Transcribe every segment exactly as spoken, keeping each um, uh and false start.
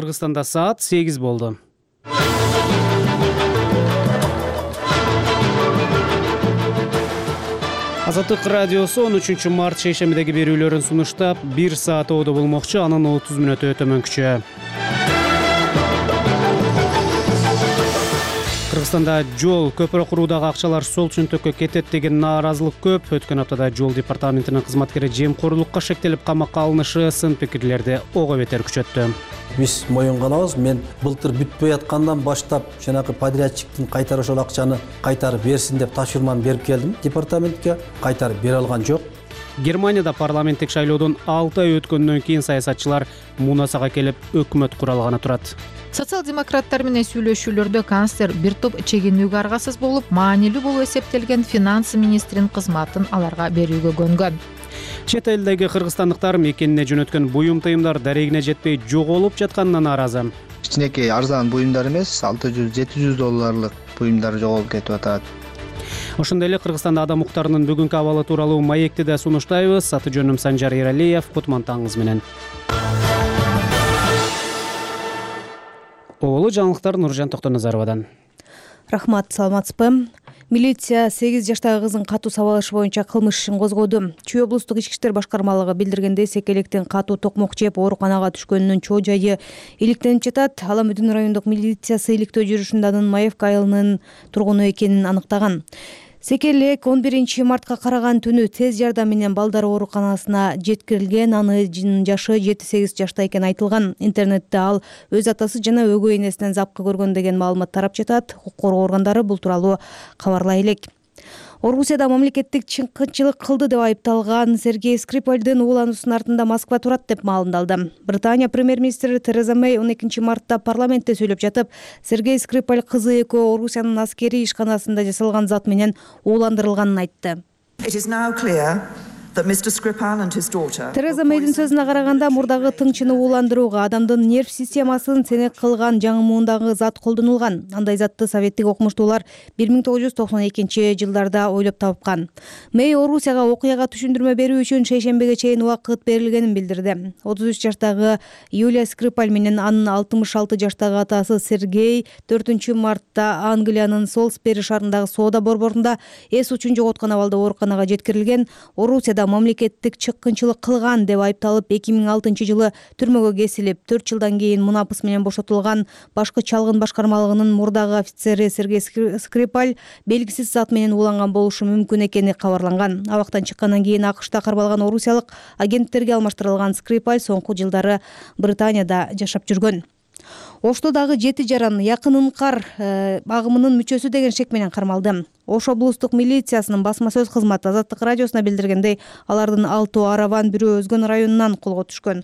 Кыргызстанда саат сегиз болду. Азаттык радиосу он үчүнчү март шейшембидеги берүүлөрүн сунуштап, бир саат оодо болмокчу, анын отуз мүнөтү өтөмөнкүчө. Кыргызстанда жол, көпүрө куруудагы акчалар сол чөнтөккө кетет деген нааразылык көп. Өткөн аптада жол департаментинин кызматкери жемкорлукка шектелип камакка алынышы сын пикирлерди ого бетер күчөттү. Биз моюнганабыз. Мен былтыр бүтпөй аткандан баштап жанагы подрядчиктин кайтара ошол акчаны кайтарып берсин деп тапшырманы берип келдим департаментке. Кайтарып бере алган жок. Германияда парламенттик шайлоодон алты ай өткөндөн кийин саясатчылар мунасага келип өкмөт куралганы турат. Социал-демократтар менен сүйлөшүүлөрдө канцлер бир топ чегинүүгө аргасыз болуп, маанилүү болуп эсептелген финанс министринин кызматын аларга берүүгө көнгөн. Чет элдеги кыргызстандыктар мекенине жөнөткөн буюм тыйымдар дарегине жетпей жоголуп жатканына нааразы. Кичинекей арзан буюмдар эмес, алты жүз жети жүз долларлык буюмдар жоголуп кетип атат. Ошондой эле Кыргызстанда адам укуктарынын бүгүнкү абалы тууралуу маекти да сунуштайбыз. Аты жөнүм Санжар Эралиев, кутмантаңыз менен. Оолу жаңылыктар Нуржан Токтоназаровадан. Рахмат, саламатсызбы? Милиция сегиз жаштагы кызын катуу сабалышы боюнча кылмыш ишин козгоду. Чүй облустук ички иштер башкармалыгы билдиргендей, секелектен катуу токмок жеп ооруканага түшкөнүнүн чоо жайы иликтенип жатат. Ала Мүдүн райондук милициясы иликтөө жүрүшүндө анын Маевка айылынын тургуну экенин аныктаган. Секелек он биринчи мартка караган түнү тез жардам менен балдар ооруканасына жеткирилген. Анын жашы жети сегиз жашта экени айтылган. Интернетте ал өз атасы жана өгөй энесинен запкы көргөн деген маалымат тарап жатат. Укук коргоо органдары бул тууралуу кабарлай элек. Орусияда мамлекеттик чыккынчылык кылды деп айыпталган Сергей Скрипальдын уулануусунун артында Москва турат деп маалымдалды. Британия премьер-министри Тереза Мэй он экинчи мартта парламентте сүйлөп жатып, Сергей Скрипаль кызы экөө Орусиянын аскерий ишканасында жасалган зат менен ууландырылганын айтты. Тереза Мэйдин сөзүнө караганда, мурдагы тыңчыны ууландырууга адамдын нерв системасын сенек кылган жаңымуундагы зат колдонулган. Андай затты советтик окумуштуулар бир миң тогуз жүз токсон экинчи жылдарда ойлоп тапкан. Мэй Орусияга окуяга түшүндүрмө берүү үчүн шейшембиге чейин убакыт берилгенин билдирди. отуз үч жаштагы Юлия Скрипаль менен анын алтымыш алты жаштагы атасы Сергей төртүнчү мартта Англиянын Солсбери шаарындагы соода борборунда эс учун жоготкон абалда ооруканага жеткирилген. Орусияда мамлекеттик чыккынчылык кылган деп айыпталып, эки миң алтынчы жылы түрмөгө кесилип, төрт жылдан кийин мунапыс менен бошотулган. Башкы чалгын башкармалыгынын мурдагы офицери Сергей Скрипаль белгисиз зат менен ууланган болушу мүмкүн экени кабарланган. Абактан чыккандан кийин АКШта кармалган орусиялык агенттерге алмаштырылган Скрипаль соңку жылдары Британияда жашап жүргөн. Ошто дагы жети жаран якын ынкар агымынын мүчөсү деген шек менен кармалды. Ош облустук милициясынын басма сөз кызматы Азаттык радиосуна билдиргендей, алардын алтоо араван, бирөө Өзгөн районунан колго түшкөн.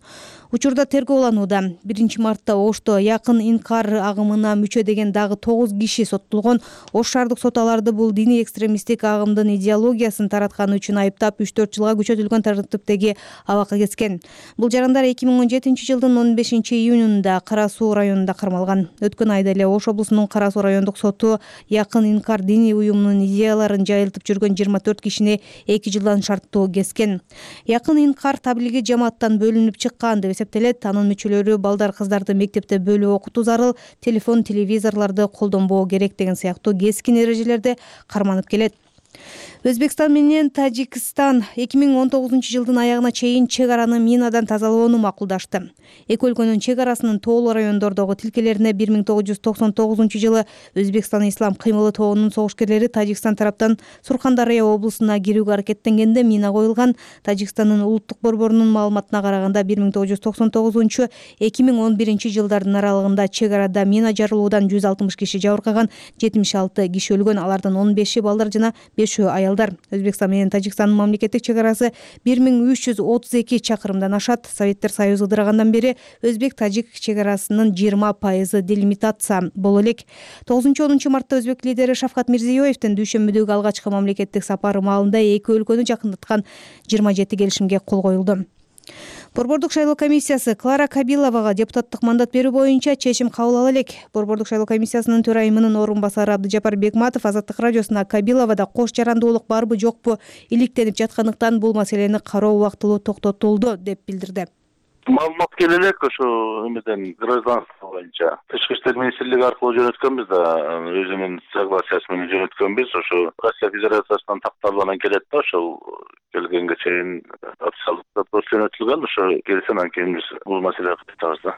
Учурда тергөө уланууда. биринчи мартта Ошто якын инкар агымына мүчө деген дагы тогуз киши соттолгон. Ош шаардык сот аларды бул диний экстремисттик агымдын идеологиясын таратканы үчүн айыптап, үч төрт жылга күчөтүлгөн тартиптеги абакка кеткен. Бул жарандар эки миң он жетинчи жылдын он бешинчи июнунда Кара Суу районунда кармалган. Өткөн айда эле Ош облусунун Кара Суу райондук соту якын инкар диний уюмунун идеяларын жайылтып жүргөн жыйырма төрт кишини эки жылдан шарттуу кескен. Якын инкар таблиги жамааттан бөлүнүп чыккан деп эсептелет. Анын мүчөлөрү балдар кыздарды мектепте бөлүп окутуу зарыл, телефон, телевизорлорду колдонбоо керек деген сыяктуу кескин эрежелерди карманып келет. Өзбекстан менен Тажикстан эки миң он тогузунчу жылдын аягына чейин чек араны минадан тазалоону макулдашты. Эки өлкөнүн чек арасынын тоолуу райондордогу тилкелерине бир миң тогуз жүз токсон тогузунчу жылы Өзбекстан Ислам кыймылы тобунун согушкерлери Тажикстан тараптан Сурхандарыя облусуна кирүүгө аракеттенгенде мина коюлган. Тажикстандын улуттук борборунун маалыматына караганда бир миң тогуз жүз токсон тогузунчу — эки миң он биринчи жылдардын аралыгында чек арада мина жарылуудан жүз алтымыш киши жабыркаган, жетимиш алты киши өлгөн. Алардын он беши балдар жана бешөө аялдар. Өзбекстан менен Тажикстандын мамлекеттик чек арасы бир миң үч жүз отуз эки чакырымдан ашат. Советтер Союзу ыдырагандан бери өзбек-тажик чек арасынын жыйырма пайызы делимитация боло элек. тогузунчу онунчу мартта өзбек лидери Шавкат Мирзиёевдин дүйшөмбүдөгү алгачкы мамлекеттик сапары маалында эки өлкөнү жакындаткан жыйырма жети келишимге кол коюлду. Борбордук шайлоо комиссиясы Клара Кабиловага депутаттык мандат берүү боюнча чечим кабыл ала элек. Борбордук шайлоо комиссиясынын төрайымынын орун басары Абдыжапар Бекматов Азаттык радиосуна Кабиловада кош жарандуулук барбы жокпу иликтенип жаткандыктан бул маселени кароо убактылуу токтотулду деп билдирди. Маалымат келе элек ошо эмеден гражданство боюнча Тышкы иштер министрлиги аркылуу жөнөткөнбүз да, өзүнүн согласиясы менен жөнөткөнбүз. Ошо Россия Федерациясынан такталып келет да, ошол келгенге чейин официалдык запрос жөнөтүлгөн. Ошо келсе анан кийин биз бул маселеге кайтабыз да.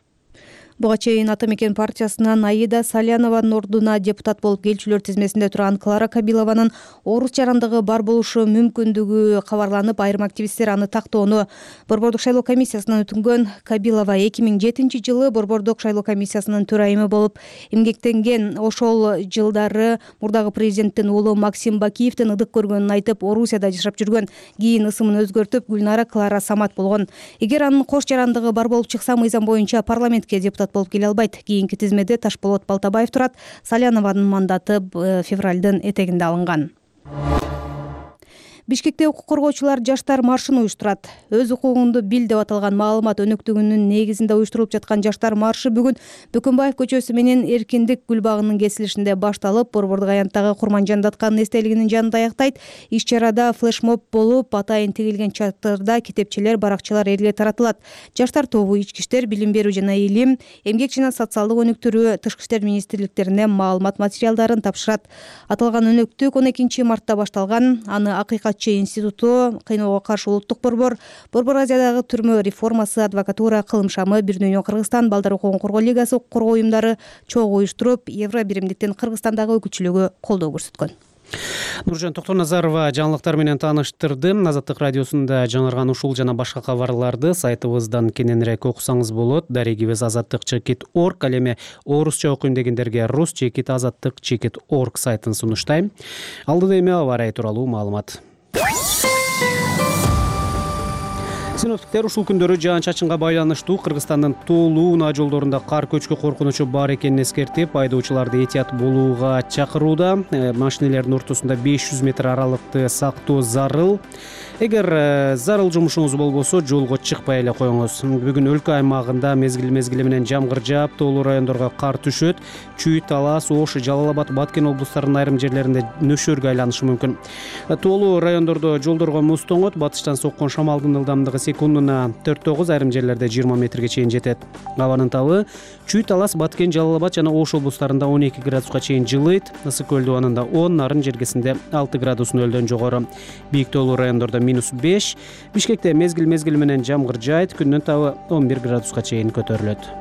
Буга чейин Ата мекен партиясынан Аида Салянованын ордуна депутат болуп келчүлөр тизмесинде турган Клара Кабилованын оорус жарандыгы бар болушу мүмкүндүгү кабарланып, айрым активисттер аны тактоону Борбордук шайлоо комиссиясынан өтүнгөн. Кабилова эки миң жетинчи жылы Борбордук шайлоо комиссиясынын төрайымы болуп эмгектенген. Ошол жылдары мурдагы президенттин уулу Максим Бакиевдин ыдык көргөнүн айтып, Орусияда жашап жүргөн. Кийин ысымын өзгөртүп, Гүлнара Клара Самат болгон. Эгер анын кош жарандыгы бар болуп чыкса, мыйзам боюнча парламентке депутат болуп келе албайт. Кийинки тизмеде Ташболот Балтабаев турат. Салянованын мандаты февралдын этегинде алынган. Бишкекте укук коргоочулар жаштар маршын уюштурат. Өз укугуңду бил деп аталган маалымат өнөктүгүнүн негизинде уюштурулуп жаткан жаштар маршы бүгүн Бөкөнбаев көчөсү менен Эркиндик гүл багынын кесилишинде башталып, Борбордук аянттагы Курманжан Датканын эстелигинин жанында аяктайт. Иш-чарада флешмоб болуп, атайын тигилген чатырда китепчелер, баракчалар элге таратылат. Жаштар тобу ички иштер, билим берүү жана илим, эмгек жана социалдык өнүктүрүү, Тышкы иштер министрликтерине маалымат материалдарын тапшырат. Аталган өнөктүк он экинчи мартта башталган. Аны Акыйкат институту, Кыйноого каршы улуттук борбор, Борбор Азиядагы түрмө реформасы, адвокатура, Кылым шамы, Бир дүйнө Кыргызстан, Балдар укугун коргоо лигасы укук коргоо уюмдары чогуу уюштуруп, Евро биримдиктин Кыргызстандагы өкүлчүлүгү колдоо көрсөткөн. Нуржан Токтоназарова жаңылыктар менен тааныштырды. Азаттык радиосунда жаңырган ушул жана башка кабарларды сайтыбыздан кененирээк окусаңыз болот. Дарегибиз азаттык чекит орг, ал эми орусча окуйм дегендерге рус чекит азаттык чекит орг сайтын сунуштайм. Алдыда эми аба ырайы тууралуу маалымат. Синоптиктер ушул күндөрү жаан-чачынга байланыштуу Кыргызстандын тоолуу унаа жолдорунда кар көчкү коркунучу бар экенин эскертип, айдоочуларды этият болууга чакырууда. Машинелердин ортосунда беш жүз метр аралыкты сактоо зарыл. Эгер зарыл жумушуңуз болбосо, жолго чыкпай эле коюңуз. Бүгүн өлкө аймагында мезгил-мезгили менен жамгыр жаап, тоолуу райондорго кар түшөт. Чүй, Талас, Ош, Жалал Абад, Баткен облустарынын айрым жерлеринде нөшөргө айланышы мүмкүн. Тоолуу райондордо жолдорго муз тоңот, батыштан соккон шамалдын ылдамдыгы секундуна төрт тогуз, айрым жерлерде жыйырма метрге чейин жетет. Абанын табы Чүй, Талас, Баткен, Жалал Абад жана Ош облустарында он эки градуска чейин жылыйт. Ысык көл дубанында он, Нарын жергесинде алты градус нөлдөн жогору. Бийик тоолуу райондордо минус беш. Бишкекте мезгил-мезгили менен жамгыр жаайт, күндүн табы он бир градуска чейин көтөрүлөт.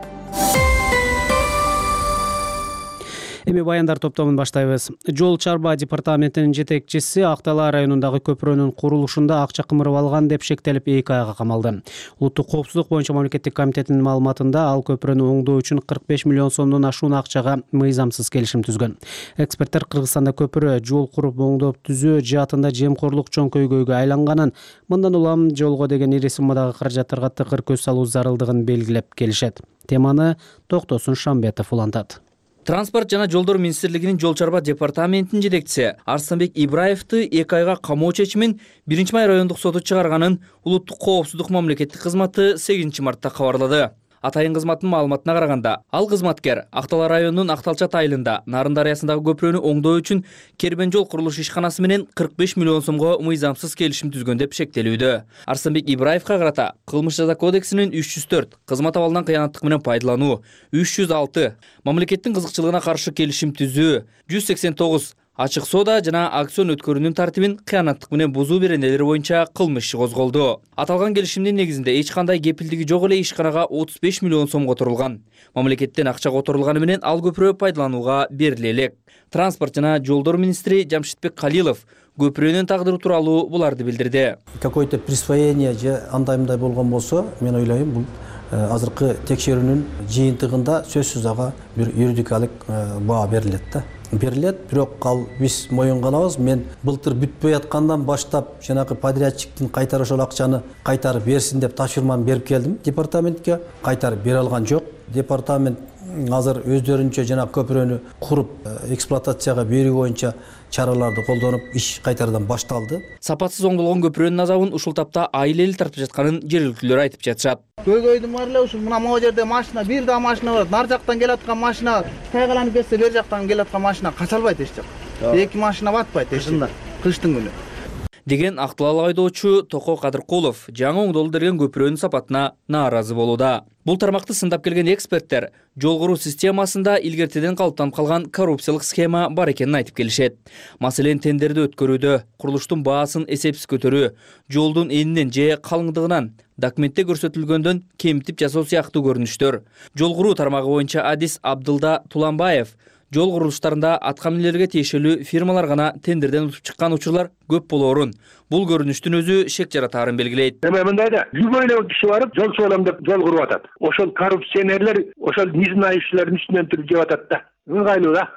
Эми баяндар топтомун баштайбыз. Жол чарба департаментинин жетекчиси Ак Дала районундагы көпүрөнүн курулушунда акча кымырып алган деп шектелип эки айга камалды. Улуттук коопсуздук боюнча мамлекеттик комитетинин маалыматында ал көпүрөнү оңдоо үчүн кырк беш миллион сомдон ашуун акчага мыйзамсыз келишим түзгөн. Эксперттер Кыргызстанда көпүрө жол куруп оңдоп түзөө жаатында жемкорлук чоң көйгөйгө айланганын, мындан улам жолго деген ири суммадагы каражаттарга тыкыр көз салуу зарылдыгын белгилеп келишет. Теманы Токтосун Шамбетов улантат. Транспорт жана жолдор министрлигинин жол чарба департаментинин жетекчиси Арсанбек Ибраевди эки айга камоо чечимин биринчи май райондук соту чыгарганын улуттук коопсуздук мамлекеттик кызматы сегизинчи мартта кабарлады. Атайын кызматтын маалыматына караганда, ал кызматкер Ак Дала районунун Акталчат айылында Нарын дарыясындагы көпүрөнү оңдоо үчүн Кербен жол курулуш ишканасы менен кырк беш миллион сомго мыйзамсыз келишим түзгөн деп шектелүүдө. Арсанбек Ибраевга карата Кылмыш жаза кодексинин үч жүз төрт кызмат абалынан кыянаттык менен пайдалануу, үч жүз алты мамлекеттин кызыкчылыгына каршы келишим түзүү, жүз сексен тогуз ачык соода жана акцион өткөрүүнүн тартибин кыянаттык менен бузуу беренелери боюнча кылмыш иши козголду. Аталган келишимдин негизинде эч кандай кепилдиги жок эле ишканага отуз беш миллион сом которулган. Мамлекеттен акча которулганы менен ал көпүрө пайдаланууга бериле элек. Транспорт жана жолдор министри Жамшитбек Калилов көпүрөнүн тагдыры тууралуу буларды билдирди. Какое-то присвоение же андай-мындай болгон болсо, мен ойлойм, бул азыркы текшерүүнүн жыйынтыгында сөзсүз ага бир юридикалык баа берилет да. Берилет, бирок ал биз моюнганабыз. Мен былтыр бүтпөй аткандан баштап жанагы подрядчиктин кайтара ошол акчаны кайтарып берсин деп тапшырманы берип келдим департаментке. Кайтарып бере алган жок. Департамент азыр өздөрүнчө жана көпүрөнү куруп эксплуатацияга берүү боюнча чараларды колдонуп, иш кайтарадан башталды. Сапатсыз оңдолгон көпүрөнүн азабын ушул тапта айыл эли тартып жатканын жергиликтүүлөр айтып жатышат. Көйгөйдүн бар эле ушул мына могу жерде машина, бир да машина бар. Нар жактан келаткан машина, тайгаланып кетсе, бер жактан келаткан машина кача албайт эч жак. Эки машина батпайт эч жакта кыштын күнү. деген актылал айдоочу Токо Кадыркулов жаңы оңдолдурген көпүрөнүн сапатына нааразы болууда. Бул тармакты сындап келген эксперттер жол куруу системасында илгертеден калыптанып калган коррупциялык схема бар экенин айтып келишет. Маселен, тендерди өткөрүүдө, курулуштун баасын эсепсиз көтөрүү, жолдун энинен же калыңдыгынан документте көрсөтүлгөндөн кемитип жасоо сыяктуу көрүнүштөр. Жол куруу тармагы боюнча адис Абдылда Туланбаев жол курулуштарында аткаминерлерге тиешелүү фирмалар гана тендерден утуп чыккан учурлар көп болоорун, бул көрүнүштүн өзү шек жаратаарын белгилейт. Эми мындай да любой эле киши барып жол суалам деп жол куруп атат. Ошол коррупционерлер ошол не знающийлердин үстүнөн туруп жеп атат да. Ыңгайлуу да.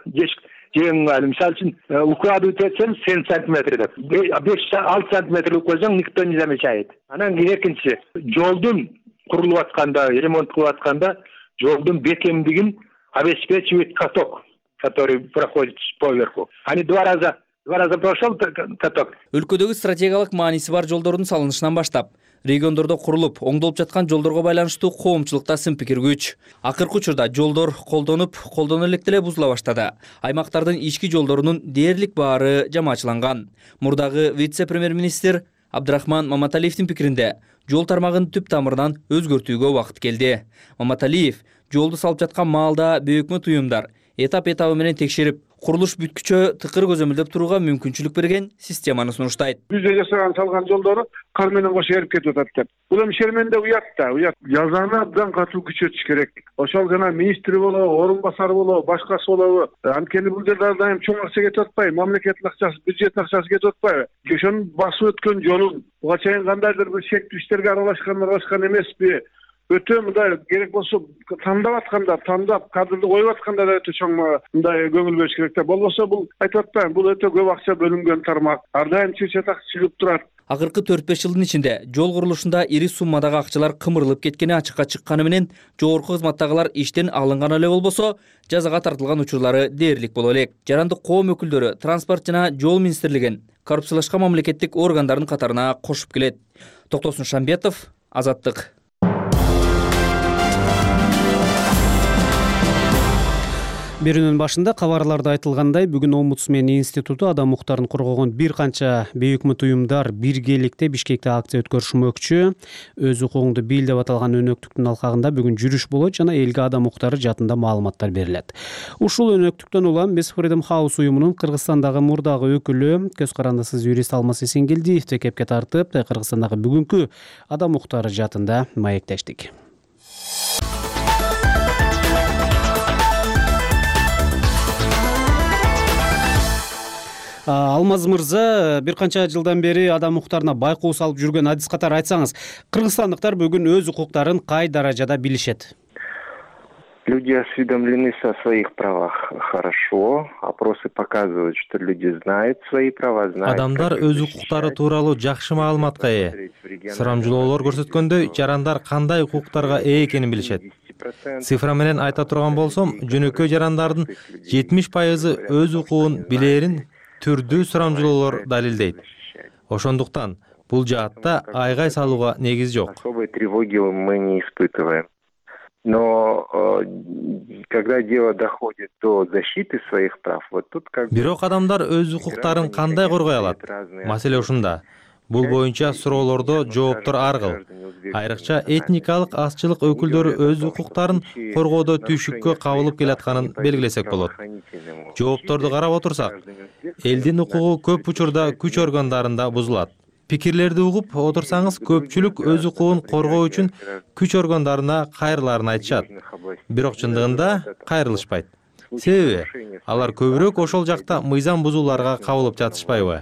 Жең ыңгайлуу. Мисалы үчүн укладывать этсең семь сантиметр деп. беш алты сантиметр койсоң никто не замечает. Анан кийин экинчиси жолдун курулуп атканда, ремонт кылып атканда жолдун бекемдигин обеспечивает каток, который проходит поверху. Они два раза Два раза прошел каток. Өлкөдөгү стратегиялык мааниси бар жолдордун салынышынан баштап, региондордо курулуп, оңдолуп жаткан жолдорго байланыштуу коомчулукта сын пикир күч. Акыркы учурда жолдор колдонуп, колдоно электе эле бузула баштады. Аймактардын ички жолдорунун дээрлик баары жамаачыланган. Мурдагы вице-премьер-министр Абдрахман Маматалиевдин пикиринде, жол тармагын түп тамырынан өзгөртүүгө убакыт келди. Маматалиев жолду салып жаткан маалда бөйөкмө туюмдар этап-этабы менен текшерип, курулуш бүткүчө тыкыр көзөмөлдөп турууга мүмкүнчүлүк берген системаны сунуштайт. Бизде жасаган салган жолдору кар менен кошо эрип кетип атат деп. Бул эми шерменде уят да, уят. Жазаны абдан катуу күчөтүш керек. Ошол жана министри болобу, орун басары болобу, башкасы болобу. Анткени бул жерде ар дайым чоң акча кетип атпайбы, мамлекеттин акчасы, бюджеттин акчасы кетип атпайбы? Ошону басып өткөн жолун буга чейин кандайдыр бир шектүү иштерге аралашкан, аралашкан эмеспи? Өтө мындай керек болсо тандап атканда, тандап кадрды коюп атканда да өтө чоң мындай көңүл бөлүш керек да. Болбосо бул айтып атпайм, бул өтө көп акча бөлүнгөн тармак. Ар дайым чыр-чатак чыгып турат. Акыркы төрт беш жылдын ичинде жол курулушунда ири суммадагы акчалар кымырылып кеткени ачыкка чыкканы менен жогорку кызматтагылар иштен алынган эле болбосо, жазага тартылган учурлары дээрлик боло элек. Жарандык коом өкүлдөрү транспорт жана жол министрлигин коррупциялашкан мамлекеттик органдардын катарына кошуп келет. Токтосун Шамбетов, Азаттык. Берүүнүн башында кабарларда айтылгандай, бүгүн Омбудсмен институту адам укуктарын коргогон бир канча бейөкмө туюмдар биргеликте Бишкекте акция өткөрүшмөкчү. Өз укугуңду бил деп аталган өнөктүктүн алкагында бүгүн жүрүш болот жана элге адам укуктары жаатында маалыматтар берилет. Ушул өнөктүктөн улам биз Freedom House уюмунун Кыргызстандагы мурдагы өкүлү, көз карандысыз юрист Алмаз Эсенгелдиевди кепке тартып, Кыргызстандагы бүгүнкү адам укуктары жаатында маектештик. Алмаз мырза, бир канча жылдан бери адам укуктарына байкоо салып жүргөн адис катары айтсаңыз, кыргызстандыктар бүгүн өз укуктарын кай даражада билишет? Люди осведомлены о своих правах хорошо. Опросы показывают, что люди знают свои права, знают. Адамдар өз укуктары тууралуу жакшы маалыматка ээ. Сурамжылоолор көрсөткөндөй, жарандар кандай укуктарга ээ экенин билишет. Цифра менен айта турган болсом, жөнөкөй жарандардын жетимиш пайызы өз укугун билээрин түрдүү сурамжылоолор далилдейт. Ошондуктан бул жаатта айгай салууга негиз жок. Особой тревоги мы не испытываем. Но когда дело доходит до защиты своих прав, вот тут как бы бирок адамдар өз укуктарын кандай коргой алат? Маселе ушунда. Бул боюнча суроолордо жооптор ар кыл. Айрыкча этникалык азчылык өкүлдөрү өз укуктарын коргоодо түйшүккө кабылып келатканын белгилесек болот. Жоопторду карап отурсак, элдин укугу көп учурда күч органдарында бузулат. Пикирлерди угуп отурсаңыз, көпчүлүк өз укугун коргоо үчүн күч органдарына кайрыларын айтышат. Бирок чындыгында кайрылышпайт. Себеби алар көбүрөөк ошол жакта мыйзам бузууларга кабылып жатышпайбы?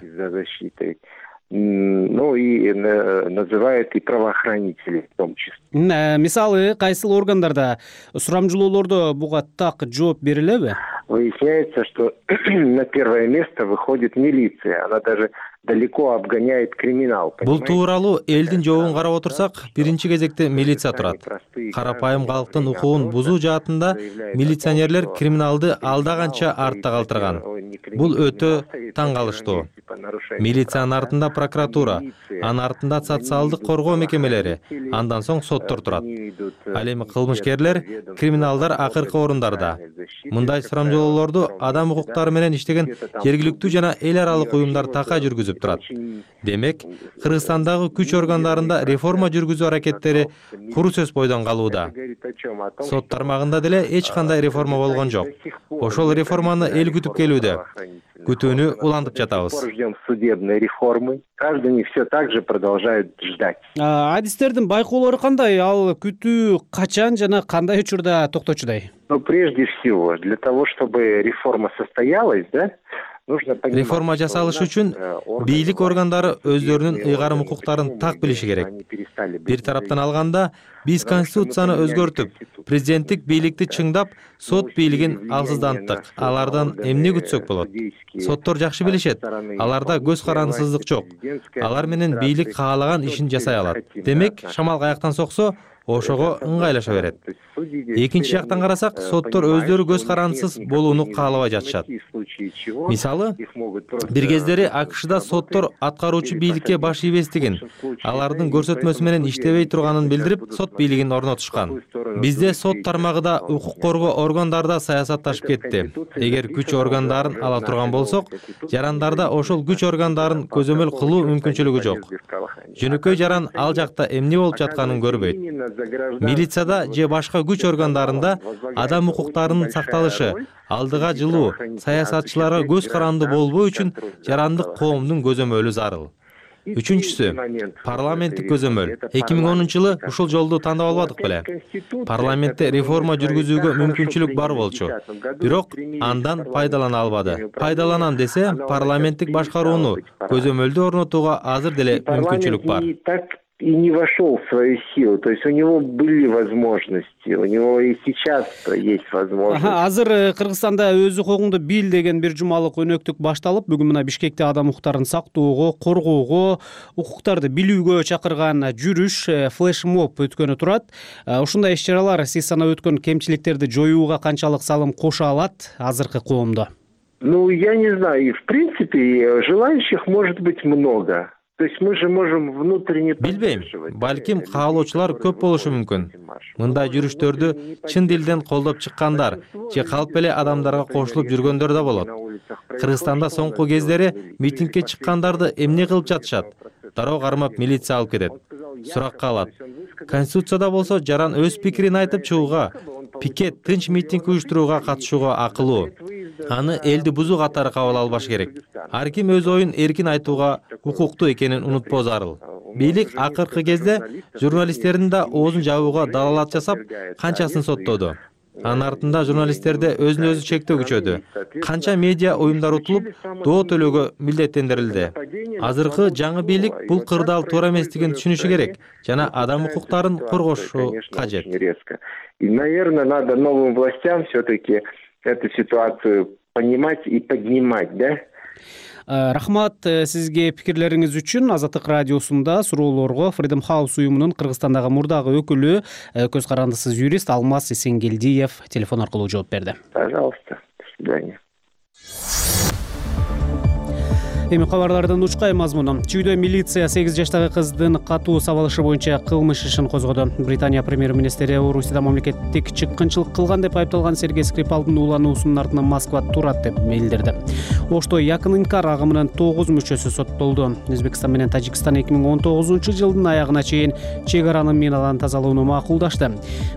Ну и называют и правоохранителей в том числе. Мисалы, кайсыл органдарда сурамжылоолордо буга так жооп берилеби? Выясняется, что на первое место выходит милиция. Она даже далеко обгоняет криминал. Бул тууралуу элдин жообун карап отурсак, биринчи кезекте милиция турат. Карапайым калктын укугун бузуу жаатында милиционерлер криминалды алда канча артта калтырган. Бул өтө таң калыштуу. Милициянын артында прокуратура, анын артында социалдык коргоо мекемелери, андан соң соттор турат. Ал эми кылмышкерлер, криминалдар акыркы орундарда. Мындай сурамжылоолорду адам укуктары менен иштеген жергиликтүү жана эл аралык уюмдар такай жүргүзүп турат. Демек, Кыргызстандагы күч органдарында реформа жүргүзүү аракеттери куру сөз бойдон калууда. Сот тармагында деле эч кандай реформа болгон жок. Ошол реформаны эл күтүп келүүдө. Күтүүнү улантып жатабыз. Судебной реформы. Граждане все так же продолжают ждать. Адистердин байкоолору кандай? Ал күтүү качан жана кандай учурда токточудай? Но прежде всего, для того, чтобы реформа состоялась, да, реформа жасалыш үчүн бийлик органдары өздөрүнүн ыйгарым укуктарын так билиши керек. Бир тараптан алганда, биз конституцияны өзгөртүп, президенттик бийликти чыңдап, сот бийлигин алсызданттык. Алардан эмне күтсөк болот? Соттор жакшы билишет. Аларда көз карандысыздык жок. Алар менен бийлик каалаган ишин жасай алат. Демек, шамал каяктан соксо, ошого ыңгайлаша берет. Экинчи жактан карасак, соттор өздөрү көз карандысыз болууну каалабай жатышат. Мисалы, бир кездери АКШда соттор аткаруучу бийликке баш ийбестигин, алардын көрсөтмөсү менен иштебей турганын билдирип, сот бийлигин орнотушкан. Бизде сот тармагында укук коргоо органдарда саясатташып кетти. Эгер күч органдарын ала турган болсок, жарандарда ошол күч органдарын көзөмөл кылуу мүмкүнчүлүгү жок. Жөнөкөй жаран ал жакта эмне болуп жатканын көрбөйт. Милицияда же башка күч органдарында адам укуктарынын сакталышы, алдыга жылуу, саясатчыларга көз каранды болбоо үчүн жарандык коомдун көзөмөлү зарыл. Үчүнчүсү, парламенттик көзөмөл. эки миң онунчу жылы ушул жолду тандап албадык беле? Парламентте реформа жүргүзүүгө мүмкүнчүлүк бар болчу. Бирок андан пайдалана албады. Пайдаланам десе, парламенттик башкарууну көзөмөлдү орнотууга азыр деле мүмкүнчүлүк бар. И не вошел в свою силу. То есть у него были возможности, у него и сейчас есть возможность. Азыр Кыргызстанда өз укугуңду бил деген бир жумалык өнөктүк башталып, бүгүн мына Бишкекте адам укуктарын сактоого, коргоого, укуктарды билүүгө чакырган жүрүш, флешмоб өткөнү турат. Ушундай иш-чаралар сиз санап өткөн кемчиликтерди жоюуга канчалык салым кошо алат азыркы коомдо? Ну, я не знаю. В принципе, желающих может быть много. Билбейм, балким каалоочулар көп болушу мүмкүн. Мындай жүрүштөрдү чын дилден колдоп чыккандар же калп эле адамдарга кошулуп жүргөндөр да болот. Кыргызстанда соңку кездери митингге чыккандарды эмне кылып жатышат? Дароо кармап милиция алып кетет. Сурак калат. Конституцияда болсо жаран өз пикирин айтып чыгууга, пикет, тынч митинг уюштурууга катышууга акылуу. Аны элди бузуу катары кабыл албаш керек. Ар ким өз оюн эркин айтууга укуктуу экенин унутпоо зарыл. Бийлик акыркы кезде журналисттердин да оозун жабууга далалат жасап, канчасын соттоду. Анын артында журналисттерде өзүн өзү чектөө күчөдү. Канча медиа уюмдар утулуп, доо төлөөгө милдеттендирилди. Азыркы жаңы бийлик бул кырдаал туура эместигин түшүнүшү керек жана адам укуктарын коргошу кажет. И, наверное, надо новым властям все-таки эту ситуацию понимать и поднимать, да? Рахмат сизге пикирлериңиз үчүн. Азаттык радиосунда суроолорго Freedom House уюмунун Кыргызстандагы мурдагы өкүлү, көз карандысыз юрист Алмаз Эсенгелдиев телефон аркылуу жооп берди. Пожалуйста, до свидания. Эми кабарлардын учкай мазмуну. Чүйдө милиция сегиз жаштагы кыздын катуу сабалышы боюнча кылмыш ишин козгоду. Британия премьер-министри Орусияда мамлекеттик чыккынчылык кылган деп айыпталган Сергей Скрипалдын уулануусунун артынан Москва турат деп билдирди. Ошто Якын Инкар агымынын тогуз мүчөсү соттолду. Өзбекстан менен Тажикстан эки миң он тогузунчу жылдын аягына чейин чек аранын минадан тазалоону макулдашты.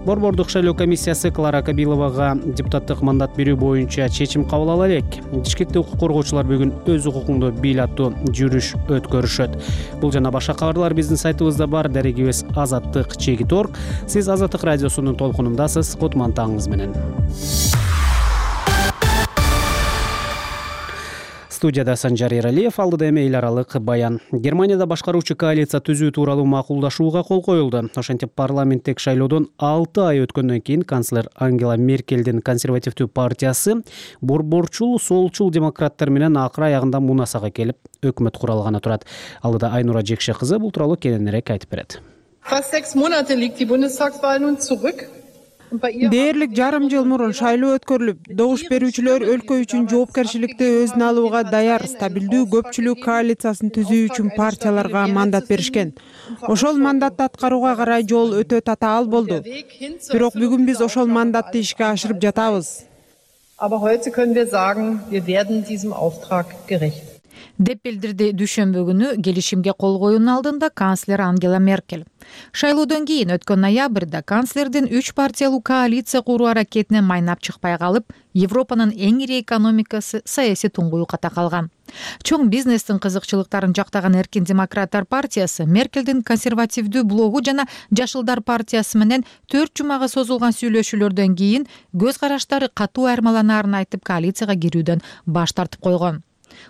Борбордук шайлоо комиссиясы Клара Кабиловага депутаттык мандат берүү боюнча чечим кабыл ала элек. Бишкекте укук коргоочулар бүгүн өз укугуңду бил аттуу жүрүш өткөрүшөт. Бул жана башка кабарлар биздин сайтыбызда бар. Дарегибиз азаттык чегит точка орг. Сиз Азаттык радиосунун толкунундасыз. Кутмантаңыз менен. Студияда Санжар Эралиев, алдыда эми эл аралык баян. Германияда башкаруучу коалиция түзүү тууралуу макулдашууга кол коюлду. Ошентип парламенттик шайлоодон алты ай өткөндөн кийин канцлер Ангела Меркелдин консервативдүү партиясы борборчул солчул демократтар менен акыр аягында мунасага келип өкмөт кура алганы турат. Алдыда Айнура Жекше кызы бул тууралуу кененирээк айтып берет. Fast sechs Monate liegt die Bundestagswahl nun zurück. Дээрлик жарым жыл мурун шайлоо өткөрүлүп, добуш берүүчүлөр өлкө үчүн жоопкерчиликти өзүнө алууга даяр стабилдүү көпчүлүк коалициясын түзүү үчүн партияларга мандат беришкен. Ошол мандатты аткарууга карай жол өтө татаал болду. Бирок бүгүн биз ошол мандатты ишке ашырып жатабыз. Aber heute können wir sagen, wir werden diesem Auftrag gerecht. деп билдирди дүйшөмбү күнү келишимге кол коюунун алдында канцлер Ангела Меркель. Шайлоодон кийин өткөн ноябрда канцлердин үч партиялуу коалиция куруу аракетинен майнап чыкпай калып, Европанын эң ири экономикасы саясий туңгуюкка калган. Чоң бизнестин кызыкчылыктарын жактаган Эркин демократтар партиясы Меркелдин консервативдүү блогу жана Жашылдар партиясы менен төрт жумага созулган сүйлөшүүлөрдөн кийин көз караштары катуу айырмаланаарын айтып коалицияга кирүүдөн баш тартып койгон.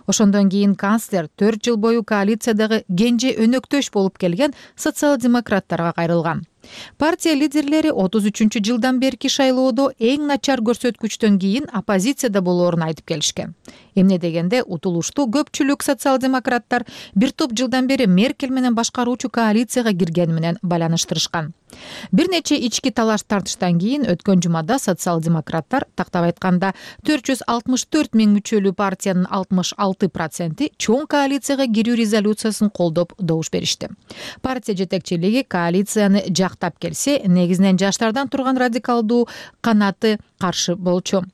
Ошондон кийин канцлер төрт жыл бою коалициядагы кенже өнөктөш болуп келген социал-демократтарга кайрылган. Партия лидерлери отуз үчүнчү жылдан берки шайлоодо эң начар көрсөткүчтөн кийин оппозицияда болоорун айтып келишкен. Эмне дегенде утулуштуу көпчүлүк социал-демократтар бир топ жылдан бери Меркель менен башкаруучу коалицияга киргени менен байланыштырышкан. Бир нече ички талаш тартыштан кийин өткөн жумада социал-демократтар, тактап айтканда төрт жүз алтымыш төрт миң мүчөлүү партиянын алтымыш алты проценти чоң коалицияга кирүү резолюциясын колдоп добуш беришти. Партия жетекчилиги коалицияны жактап келсе, негизинен жаштардан турган радикалдуу канаты каршы болчу.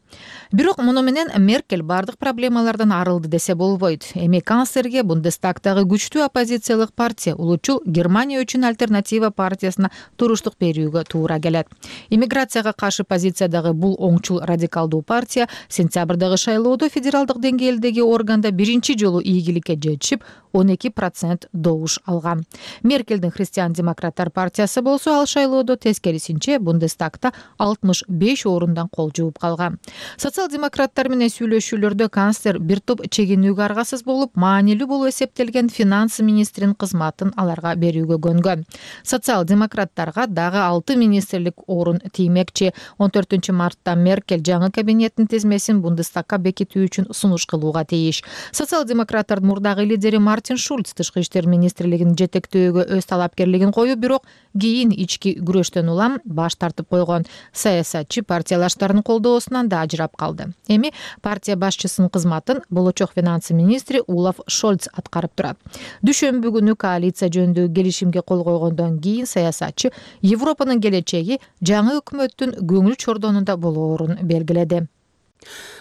Бирок муну менен Меркель бардык проблемалардан арылды десе болбойт. Эми канцлерге Бундестагдагы күчтүү оппозициялык партия улучул Германия үчүн альтернатива партиясына туруштук берүүгө туура келет. Иммиграцияга каршы позициядагы бул оңчул радикалдуу партия сентябрдагы шайлоодо федералдык деңгээлдеги органда биринчи жолу ийгиликке жетишип, он эки процент добуш алган. Меркелдин христиан-демократтар партиясы болсо ал шайлоодо тескерисинче Бундестагда алтымыш беш орундан кол жууп калган. Социал-демократтар менен сүйлөшүүлөрдө канцлер бир топ чегинүүгө аргасыз болуп, маанилүү болуп эсептелген финанс министринин кызматын аларга берүүгө көнгөн. Социал-демократтарга дагы алты министрлик орун тиймекчи. он төртүнчү мартта Меркель жаңы кабинеттин тизмесин Бундестагга бекитүү үчүн сунуш кылууга тийиш. Социал-демократтардын мурдагы лидери Мартин Шульц тышкы иштер министрлигин жетектөөгө өз талапкерлигин коюп, бирок кийин ички күрөштөн улам баш тартып койгон. Саясатчы партиялаштардын колдоосунан да ажырап калды. Эми партия башчысынын кызматын болочок финанс министри Олаф Шольц аткарып турат. Дүйшөмбү күнү коалиция жөнүндөгү келишимге кол койгондон кийин саясатчы Европанын келечеги жаңы өкмөттүн көңүл чордонунда болоорун белгиледи.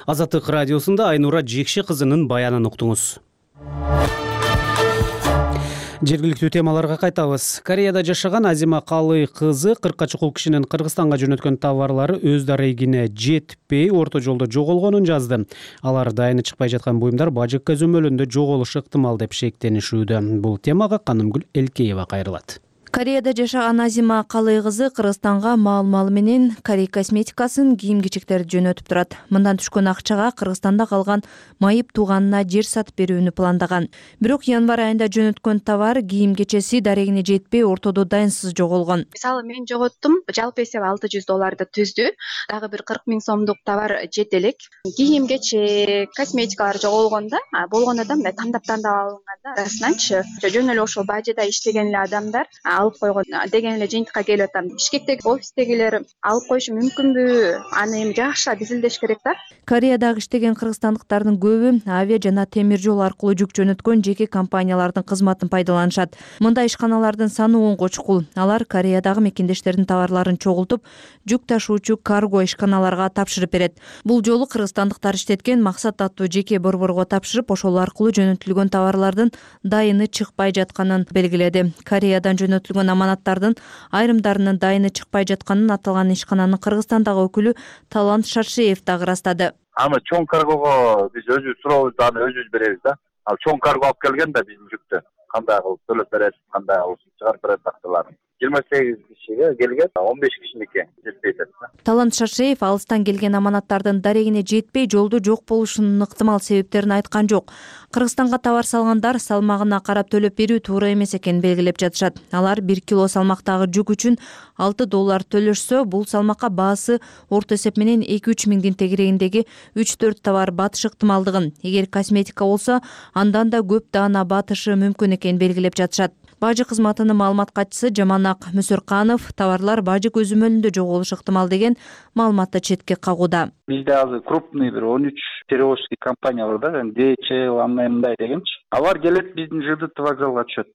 Азаттык радиосунда Айнура Жекши кызынын баянын уктуңуз. Жергиликтүү темаларга кайтабыз. Кореяда жашаган Азима Калый кызы кыркка чукул кишинин Кыргызстанга жөнөткөн товарлары өз дарегине жетпей орто жолдо жоголгонун жазды. Алар дайыны чыкпай жаткан буюмдар бажык көзөмөлүндө жоголушу ыктымал деп шектенишүүдө. Бул темага Канымгүл Элкеева кайрылат. Кореяда жашаган Азима Калый кызы Кыргызстанга маал-маалы менен Корей косметикасын, кийим-кечектерди жөнөтүп турат. Мындан түшкөн акчага Кыргызстанда калган майып тууганына жер сатып берүүнү пландаган. Бирок январь айында жөнөткөн товар кийим-кечеси дарегине жетпей ортодо дайынсыз жоголгон. Мисалы мен жоготтум, жалпы эсеп алты жүз долларды түздү. Дагы бир кырк миң сомдук товар жет элек. Кийим-кечек, косметикалар жоголгонда, болгондо да мындай тандап-тандап алынганда арасынанчы жөн эле ошол бажыда иштеген эле адамдар алып койгон деген эле жыйынтыкка келип атам. Бишкектеги офистегилер алып коюшу мүмкүнбү? Аны эми жакшылап изилдеш керек да. Кореядагы иштеген кыргызстандыктардын көбү авиа жана темир жол аркылуу жүк жөнөткөн жеке компаниялардын кызматын пайдаланышат. Мындай ишканалардын саны онго чукул. Алар Кореядагы мекендештердин товарларын чогултуп, жүк ташуучу карго ишканаларга тапшырып берет. Бул жолу кыргызстандыктар иштеткен Максат аттуу жеке борборго тапшырып, ошол аркылуу жөнөтүлгөн товарлардын дайыны чыкпай жатканын белгиледи. Кореядан жөнөтүлгөн аманаттардын айрымдарынын дайыны чыкпай жатканын аталган ишкананын Кыргызстандагы өкүлү Талант Шаршеев дагы ырастады. Аны чоң каргого биз өзүбүз сурообузду аны өзүбүз беребиз да. Ал чоң карго алып келген да биздин жүктү. Кандай кылып төлөп берет, кандай кылып чыгарып берет актыларын. жыйырма сегиз кишиге келген, он беш кишиники жетпей атат. Талант Шаршеев алыстан келген аманаттардын дарегине жетпей жолдо жок болушунун ыктымал себептерин айткан жок. Кыргызстанга товар салгандар салмагына карап төлөп берүү туура эмес экенин белгилеп жатышат. Алар бир кило салмактагы жүк үчүн алты доллар төлөшсө, бул салмакка баасы орто эсеп менен эки үч миңдин тегерегиндеги үч төрт товар батыш ыктымалдыгын, эгер косметика болсо, андан да көп даана батышы мүмкүн экенин белгилеп жатышат. Бажы кызматынын маалымат катчысы Жаманак Мүсөрканов товарлар бажы көзөмөлүндө жоголушу ыктымал деген маалыматты четке кагууда. Бизде азыр крупный бир он үч перевозчик компания бар да, ди эйч эл андай мындай дегенчи. Алар келет биздин ЖДТ вокзалга түшөт.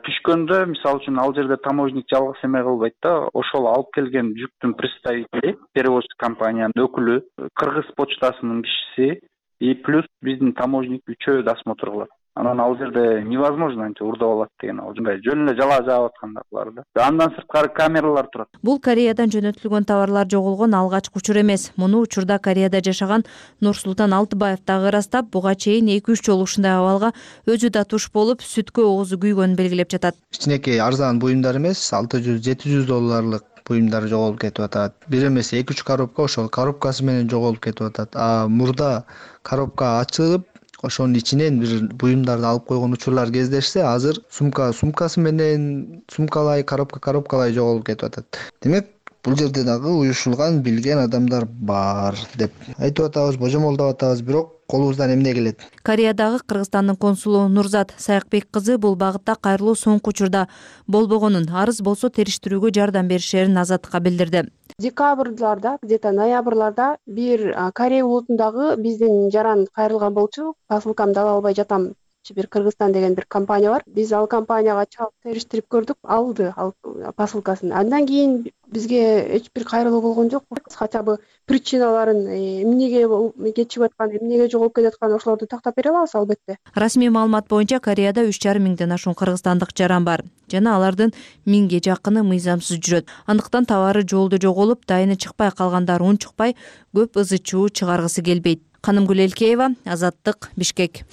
Түшкөндө, мисалы үчүн, ал жерде таможник жалгыз эме кылбайт да, ошол алып келген жүктүн представители, перевозчик компаниянын өкүлү, кыргыз почтасынын кишиси и плюс биздин таможник үчөө досмотр кылат. Анан ал жерде невозможно анча урдап алат деген, ал жөндөй жөн эле жала жаап атканда булар да. Андан сырткары камералар турат. Бул Кореядан жөнөтүлгөн товарлар жоголгон алгачкы учур эмес. Муну учурда Кореяда жашаган Нурсултан Алтыбаев дагы ырастап, буга чейин эки үч жолу ушундай абалга өзү да туш болуп, сүткө оозу күйгөнүн белгилеп жатат. Кичинекей арзан буюмдар эмес, алты жүз жети жүз долларлык буюмдар жоголуп кетип атат. Бир эмес эки үч коробка ошол коробкасы менен жоголуп кетип атат. А мурда коробка ачылып, ошонун ичинен бир буюмдарды алып койгон учурлар кездешсе, азыр сумка сумкасы менен сумкалай, коробка коробкалай жоголуп кетип атат. Демек, бул жерде дагы уюшулган, билген адамдар бар деп айтып атабыз, божомолдоп атабыз, бирок колубуздан эмне келет? Кореядагы Кыргызстандын консулу Нурзат Саякбек кызы бул багытта кайрылуу соңку учурда болбогонун, арыз болсо териштирүүгө жардам беришерин Азаттыкка билдирди. Декабрларда, где-то ноябрларда бир Корея улутундагы биздин жаран кайрылган болчу. Посылкамды ала албай жатам. Бир Кыргызстан деген бир компания бар. Биз ал компанияга чалып териштирип көрдүк, алды ал посылкасын. Андан кийин бизге эч бир кайрылуу болгон жок. Хотя бы причиналарын эмнеге кечигип аткан, эмнеге жоголуп кетаткан ошолорду тактап бере алабыз албетте. Расмий маалымат боюнча Кореяда үч жарым миңден ашуун кыргызстандык жаран бар жана алардын миңге жакыны мыйзамсыз жүрөт. Андыктан товары жолдо жоголуп, дайыны чыкпай калгандар унчукпай көп ызы чуу чыгаргысы келбейт. Канымгүл Элкеева, Азаттык, Бишкек.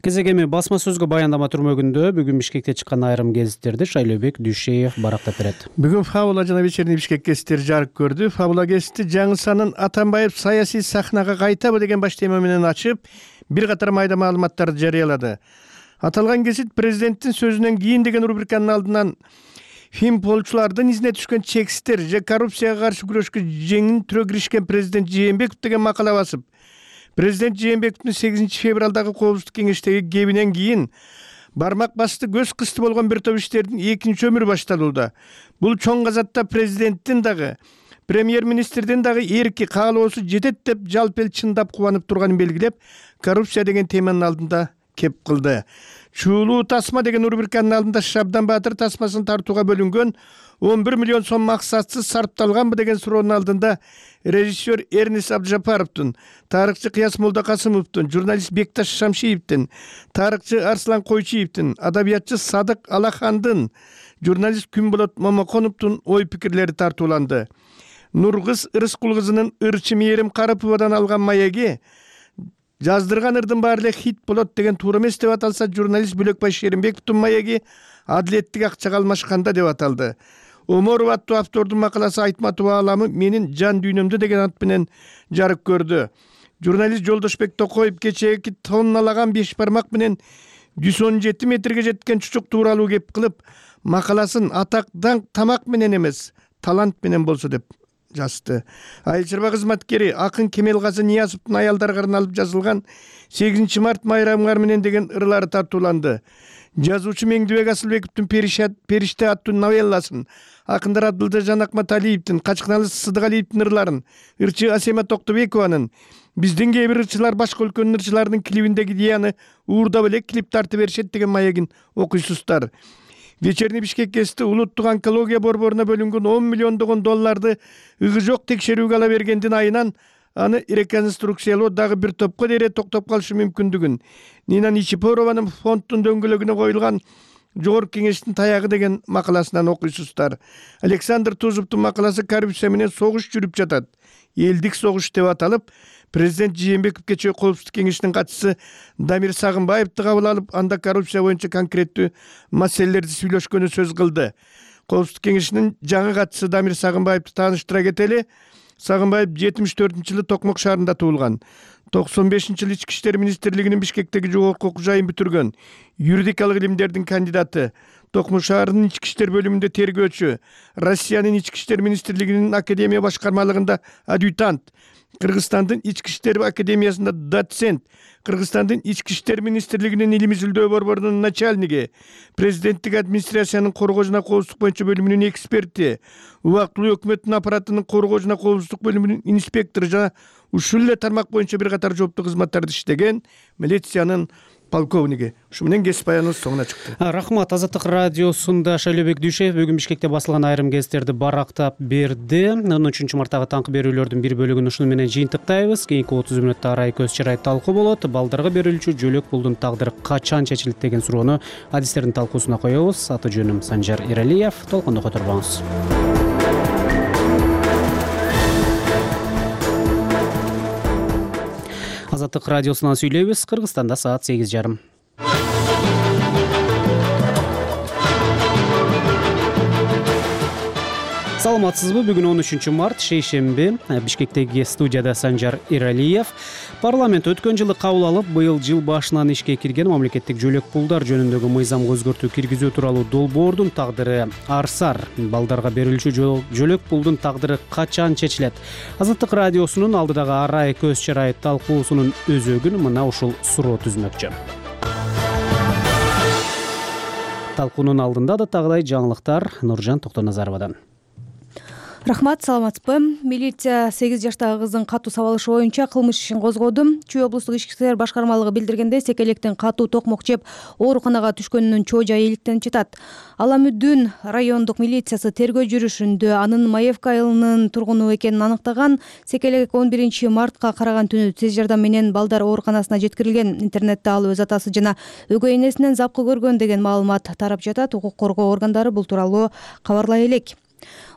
Кезек эми басма сөзгө баяндама түрмөгүндө бүгүн Бишкекте чыккан айрым гезиттерди Шайлообек Дүйшеев барактап берет. Бүгүн Фабула жана Вечерний Бишкек гезиттери жарык көрдү. Фабула гезити жаңы санын Атамбаев саясий сахнага кайтабы деген баш тема менен ачып, бир катар майда маалыматтарды жарыялады. Аталган гезит президенттин сөзүнөн кийин деген рубриканын алдынан финполчулардын изине түшкөн чексиздер же коррупцияга каршы күрөшкө жеңин түрө киришкен президент Жээнбеков деген макала басып, президент Жээнбековдун сегизинчи февралдагы коопсуздук кеңештеги кебинен кийин бармак басты көз кысты болгон бир топ иштердин экинчи өмүрү башталууда. Бул чоң казатта президенттин дагы, премьер-министрдин дагы эрки каалоосу жетет деп жалпы эл чындап кубанып турганын белгилеп, коррупция деген теманын алдында кеп кылды. Чуулуу тасма деген рубриканын алдында Шабдан Баатыр тасмасын тартууга бөлүнгөн он бир миллион сом максатсыз сарпталганбы деген суроонун алдында режиссер Эрнис Абдыжапаровдун, тарыхчы Кыяс Молдокасымовдун, журналист Бекташ Шамшиевдин, тарыхчы Арслан Койчиевдин, адабиятчы Садык Алахандын, журналист Күнболот Момоконовдун ой пикирлери тартууланды. Нургыз Ырыскул кызынын ырчы Мээрим Карыповадан алган маеги жаздырган ырдын баары эле хит болот деген туура эмес деп аталса, журналист Бөлөкбай Шеримбековдун маеги адилеттик акчага алмашканда деп аталды. Оморов аттуу автордун макаласы Айтматов ааламы менин жан дүйнөмдө деген ат менен жарык көрдү. Журналист Жолдошбек Токоев кечээки тонналаган беш бармак менен жүз он жети метрге жеткен чучук тууралуу кеп кылып, макаласын атак даңк тамак менен эмес, талант менен болсо деп жазды. Айыл чарба кызматкери акын Кемелгазы Ниязовдун аялдарга арналып жазылган сегизинчи март майрамыңар менен деген ырлары тартууланды. Жазуучу Меңдибек Асылбековдун Периште аттуу новелласын, акындар Абдылда Жанакматалиевдин, Качкыналы Сыдыгалиевдин ырларын, ырчы Асема Токтобекованын, биздин кээ бир ырчылар башка өлкөнүн ырчыларынын клибиндеги идеяны уурдап эле клип тартып беришет деген маегин окуйсуздар. Вечерний Бишкек гезити улуттук онкология борборуна бөлүнгөн он миллиондогон долларды ыгы жок текшерүүгө ала бергендин айынан аны реконструкциялоо дагы бир топко дере токтоп калышы мүмкүндүгүн, Нина Ничипорованын фонддун дөңгөлөгүнө коюлган жогорку кеңештин таягы деген макаласынан окуйсуздар. Александр Тузовдун макаласы коррупция менен согуш жүрүп жатат, элдик согуш деп аталып, президент Жээнбеков кечээ коопсуздук кеңешинин катчысы Дамир Сагынбаевди кабыл алып, анда коррупция боюнча конкреттүү маселелерди сүйлөшкөнү сөз кылды. Коопсуздук кеңешинин жаңы катчысы Дамир Сагынбаевди тааныштыра кетели. Сагынбаев жетимиш төртүнчү жылы Токмок шаарында туулган. токсон бешинчи жылы Ички иштер министрлигинин Бишкектеги жогорку окуу жайын бүтүргөн. Юридикалык илимдердин кандидаты. Токму шаарынын ички иштер бөлүмүндө тергөөчү, Россиянын ички иштер министрлигинин академия башкармалыгында адъютант, Кыргызстандын ички иштер академиясында доцент, Кыргызстандын ички иштер министрлигинин илимий изилдөө борборунун начальниги, президенттик администрациянын коргоо жана коопсуздук боюнча бөлүмүнүн эксперти, убактылуу өкмөттүн аппаратынын коргоо жана коопсуздук бөлүмүнүн инспектору жана ушул эле тармак боюнча бир катар жооптуу кызматтарды иштеген милициянын полковниги. Ушу менен кесип аяныбыз соңуна чыкты. Рахмат. Азаттык радиосунда Шайлообек Дүйшев бүгүн Бишкекте басылган айрым гезиттерди барактап берди. он үчүнчү марттагы таңкы берүүлөрдүн бир бөлүгүн ушуну менен жыйынтыктайбыз. Кийинки отуз мүнөттө арай көз чарай талкуу болот. Балдарга берилүүчү жөлөк пулдун тагдыры качан чечилет деген суроону адистердин талкуусуна коебуз. Аты жөнүм Санжар Иралиев. Толкондо которбоңуз. Азаттык радиосунан сүйлөйбүз. Кыргызстанда саат сегиз жарым. Саламатсызбы? Бүгүн он үчүнчү март, шейшемби. Бишкектеги студияда Санжар Иралиев. Парламент өткөн жылы кабыл алып, быйыл жыл башынан ишке кирген мамлекеттик жөлөк пулдар жөнүндөгү мыйзамга өзгөртүү киргизүү тууралуу долбоордун тагдыры арсар. Балдарга берилүүчү жөлөк пулдун тагдыры качан чечилет? Азаттык радиосунун алдыдагы арай көз чарай талкуусунун өзөгүн мына ушул суроо түзмөкчү. Талкуунун алдында да тагыдай жаңылыктар Нуржан Токтоназаровадан. Рахмат, саламатсызбы? Милиция сегиз жаштагы кыздын катуу сабалышы боюнча кылмыш ишин козгоду. Чүй облустук ички иштер башкармалыгы билдиргендей, секелектен катуу токмок жеп ооруканага түшкөнүнүн чоо жайы иликтенип жатат. Аламүдүн райондук милициясы тергөө жүрүшүндө анын Маевка айылынын тургуну экенин аныктаган. Секелек он биринчи мартка караган түнү тез жардам менен балдар ооруканасына жеткирилген. Интернетте ал өз атасы жана өгөй энесинен запкы көргөн деген маалымат тарап жатат. Укук коргоо органдары бул тууралуу кабарлай элек.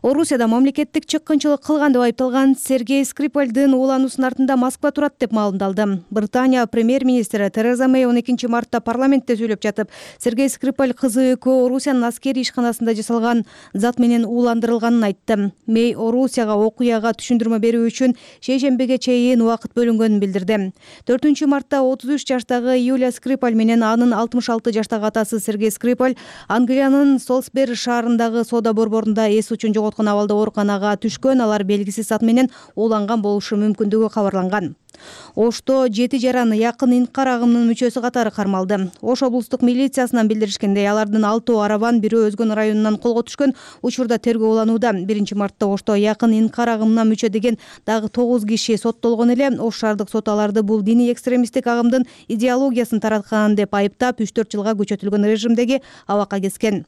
Орусияда мамлекеттик чыккынчылык кылган деп айыпталган Сергей Скрипальдын уулануусунун артында Москва турат деп маалымдалды. Британия премьер-министри Тереза Мэй он экинчи мартта парламентте сүйлөп жатып, Сергей Скрипаль кызы экөө Орусиянын аскерий ишканасында жасалган зат менен ууландырылганын айтты. Мэй Орусияга окуяга түшүндүрмө берүү үчүн шейшембиге чейин убакыт бөлүнгөнүн билдирди. төртүнчү мартта отуз үч жаштагы Юлия Скрипаль менен анын алтымыш алты жаштагы атасы Сергей Скрипаль Англиянын Солсбери шаарындагы соода борборунда эс учун жоготкон абалда ооруканага түшкөн. Алар белгисиз зат менен ууланган болушу мүмкүндүгү кабарланган. Ошто жети жаран якын инкар агымынын мүчөсү катары кармалды. Ош облустук милициясынан билдиришкендей, алардын алтоо арабан, бирөө Өзгөн районунан колго түшкөн. Учурда тергөө уланууда. биринчи мартта Ошто якын инкар агымына мүчө деген дагы тогуз киши соттолгон эле. Ош шаардык соту аларды бул диний экстремисттик агымдын идеологиясын тараткан деп айыптап, үч төрт жылга күчөтүлгөн режимдеги абакка кескен.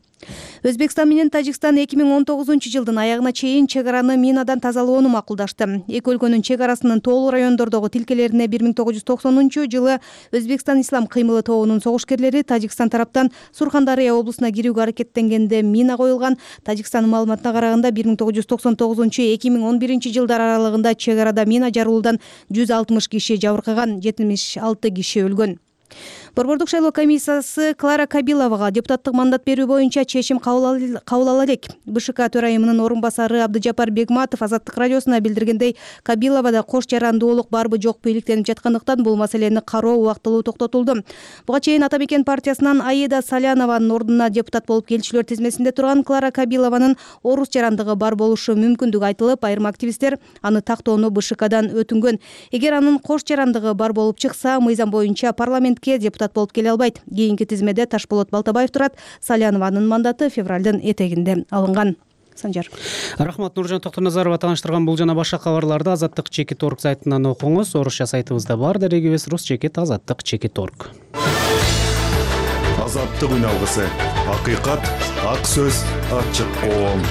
Өзбекстан менен Тажикстан эки миң он тогузунчу жылдын аягына чейин чек араны минадан тазалоону макулдашты. Эки өлкөнүн чек арасынын тоолуу райондордогу тилкелерине бир миң тогуз жүз токсонунчу жылы Өзбекстан Ислам кыймылы тобунун согушкерлери Тажикстан тараптан Сурхандарыя облусуна кирүүгө аракеттенгенде мина коюлган. Тажикстандын маалыматына караганда бир миң тогуз жүз токсон тогузунчу эки миң он биринчи жылдар аралыгында чек арада мина жарылуудан жүз алтымыш киши жабыркаган, жетимиш алты киши өлгөн. Борбордук шайлоо комиссиясы Клара Кабиловага депутаттык мандат берүү боюнча чечим кабыл ала элек. БШК төрайымынын орун басары Абдыжапар Бегматов Азаттык радиосуна билдиргендей, Кабиловада кош жарандуулук барбы жокпу иликтенип жаткандыктан бул маселени кароо убактылуу токтотулду. Буга чейин Ата Мекен партиясынан Аида Салянованын ордуна депутат болуп келчүлөр тизмесинде турган Клара Кабилованын орус жарандыгы бар болушу мүмкүндүгү айтылып, айрым активисттер аны тактоону БШКдан өтүнгөн. Эгер анын кош жарандыгы бар болуп чыкса, мыйзам боюнча парламентке депутат болуп келе албайт. Кийинки тизмеде Ташболот Балтабаев турат. Салянованын мандаты февралдын этегинде алынган. Санжар. Рахмат, Нуржан Токтоназарова тааныштырган бул жана башка кабарларды Азаттык чекит орг сайтынан окуңуз. Орусча сайтыбызда бар. Дарегибиз рус чекит азаттык чекит орг. Азаттык үн алгысы. Акыйкат, ак сөз, ачык коом.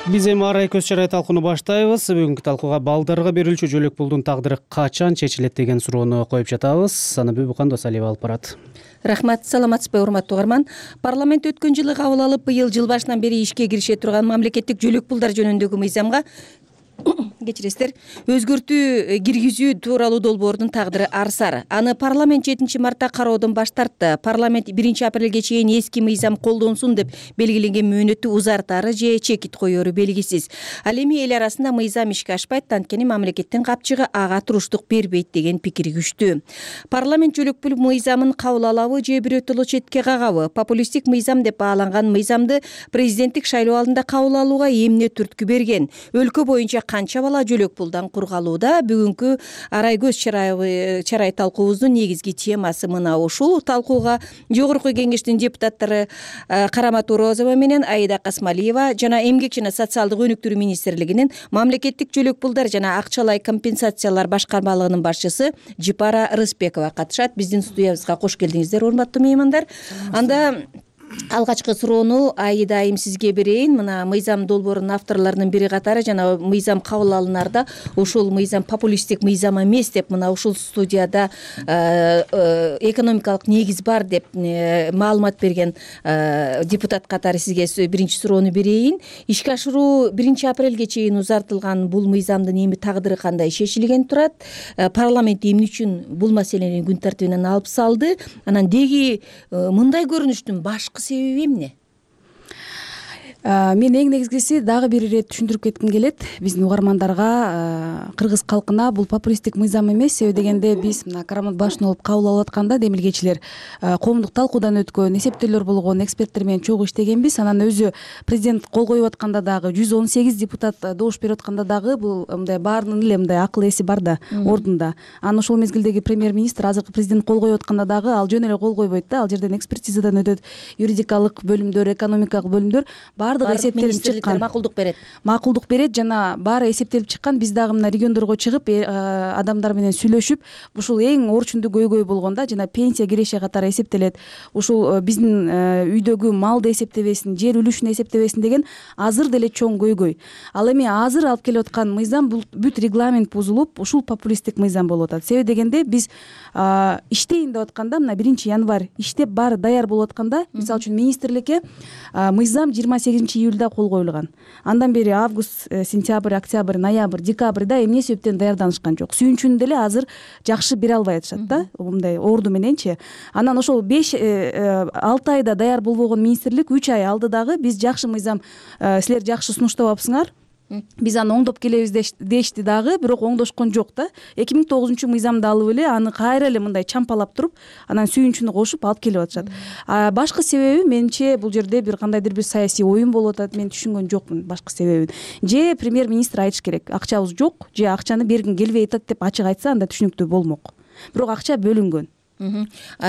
Биз эми арай көз чарай талкууну баштайбыз. Бүгүнкү талкууга балдарга берилүүчү жөлөк пулдун тагдыры качан чечилет деген суроону коюп жатабыз. Санабү Букан Досалиева алып барат. Рахмат, саламатсызбы урматтуу угарман. Парламент өткөн жылы кабыл алып, быйыл жыл башынан бери ишке кирише турган мамлекеттик жөлөк пулдар жөнүндөгү мыйзамга кечиресиздер, өзгөртүү киргизүү тууралуу долбоордун тагдыры ар сар. Аны парламент жетинчи мартта кароодон баш тартты. Парламент биринчи апрелге чейин эски мыйзам колдонсун деп белгиленген мөөнөттү узартары же чекит коеру белгисиз. Ал эми эл арасында мыйзам ишке ашпайт, анткени мамлекеттин капчыгы ага туруштук бербейт деген пикир күчтүү. Парламент жөлөкпү мыйзамын кабыл алабы же бирөөтөлө четке кагабы? Популисттик мыйзам деп бааланган мыйзамды президенттик шайлоо алдында кабыл алууга эмне түрткү берген? Өлкө боюнча канча бала жөлөк пулдан кургалууда? Бүгүнкү арай көз чарай талкуубуздун негизги темасы мына ушул. Талкууга жогорку кеңештин депутаттары Карама Туурозова менен Аида Касмалиева жана Эмгек жана социалдык өнүктүрүү министрлигинин мамлекеттик жөлөк пулдар жана акчалай компенсациялар башкармалыгынын башчысы Жипара Рыспекова катышат. Биздин студиябызга кош келдиңиздер, урматтуу меймандар. Анда алгачкы суроону Аида айым сизге берейин. Мына мыйзам долбоорунун авторлорунун бири катары жана мыйзам кабыл алынаарда ушул мыйзам популисттик мыйзам эмес деп мына ушул студияда экономикалык негиз бар деп маалымат берген депутат катары сизге биринчи суроону берейин. Ишке ашыруу биринчи апрелге чейин узартылган бул мыйзамдын эми тагдыры кандай шешилген турат? Парламент эмне үчүн бул маселени күн тартибинен алып салды? Анан деги мындай көрүнүштүн башкы себеби эмне? Мен эң негизгиси дагы бир ирет түшүндүрүп кетким келет биздин угармандарга, кыргыз калкына бул популисттик мыйзам эмес. Себеби дегенде биз мына Карамат башын алып кабыл алып атканда демилгечилер коомдук талкуудан өткөн, эсептөөлөр болгон, эксперттер менен чогуу иштегенбиз. Анан өзү президент кол коюп атканда дагы жүз он сегиз депутат добуш берип атканда дагы бул мындай баарынын эле мындай акыл эси бар да ордунда. Анан ошол мезгилдеги премьер-министр азыркы президент кол коюп атканда дагы ал жөн эле кол койбойт да. Ал жерден экспертизадан өтөт, юридикалык бөлүмдөр, экономикалык бөлүмдөр баардыгы эсептелип чыккан. Макулдук берет. Макулдук берет жана баары эсептелип чыккан. Биз дагы мына региондорго чыгып адамдар менен сүйлөшүп, ушул эң орчундуу көйгөй болгонда жана пенсия киреше катары эсептелет. Ушул биздин үйдөгү малды эсептебесин, жер үлүшүн эсептебесин деген азыр деле чоң көйгөй. Ал эми азыр алып келип аткан мыйзам бул бүт регламент бузулуп, ушул популисттик мыйзам болуп атат. Себеби дегенде биз иштейин деп атканда мына биринчи январь иштеп баары даяр болуп атканда, мисалы үчүн министрликке мыйзам жыйырма сегизинчи июльда кол коюлган. Андан бери август, сентябрь, октябрь, ноябрь, декабрда эмне себептен даярданышкан жок. Сүйүнчүн деле азыр жакшы бере албай атышат да, мындай орду мененчи. Анан ошол беш алты айда даяр болбогон министрлик үч ай алды дагы биз жакшы мыйзам, силер жакшы сунуштабапсыңар, биз аны оңдоп келебиз дешти дагы, бирок оңдошкон жок да. эки миң тогузунчу мыйзамды алып эле аны кайра эле мындай чампалап туруп, анан сүйүнчүнү кошуп алып келип атышат. Башкы себеби менимче бул жерде бир кандайдыр бир саясий оюн болуп атат. Мен түшүнгөн жокмун башкы себебин. Же премьер-министр айтыш керек, акчабыз жок, же акчаны бергин келбей атат деп ачык айтса, анда түшүнүктүү болмок. Бирок акча бөлүнгөн.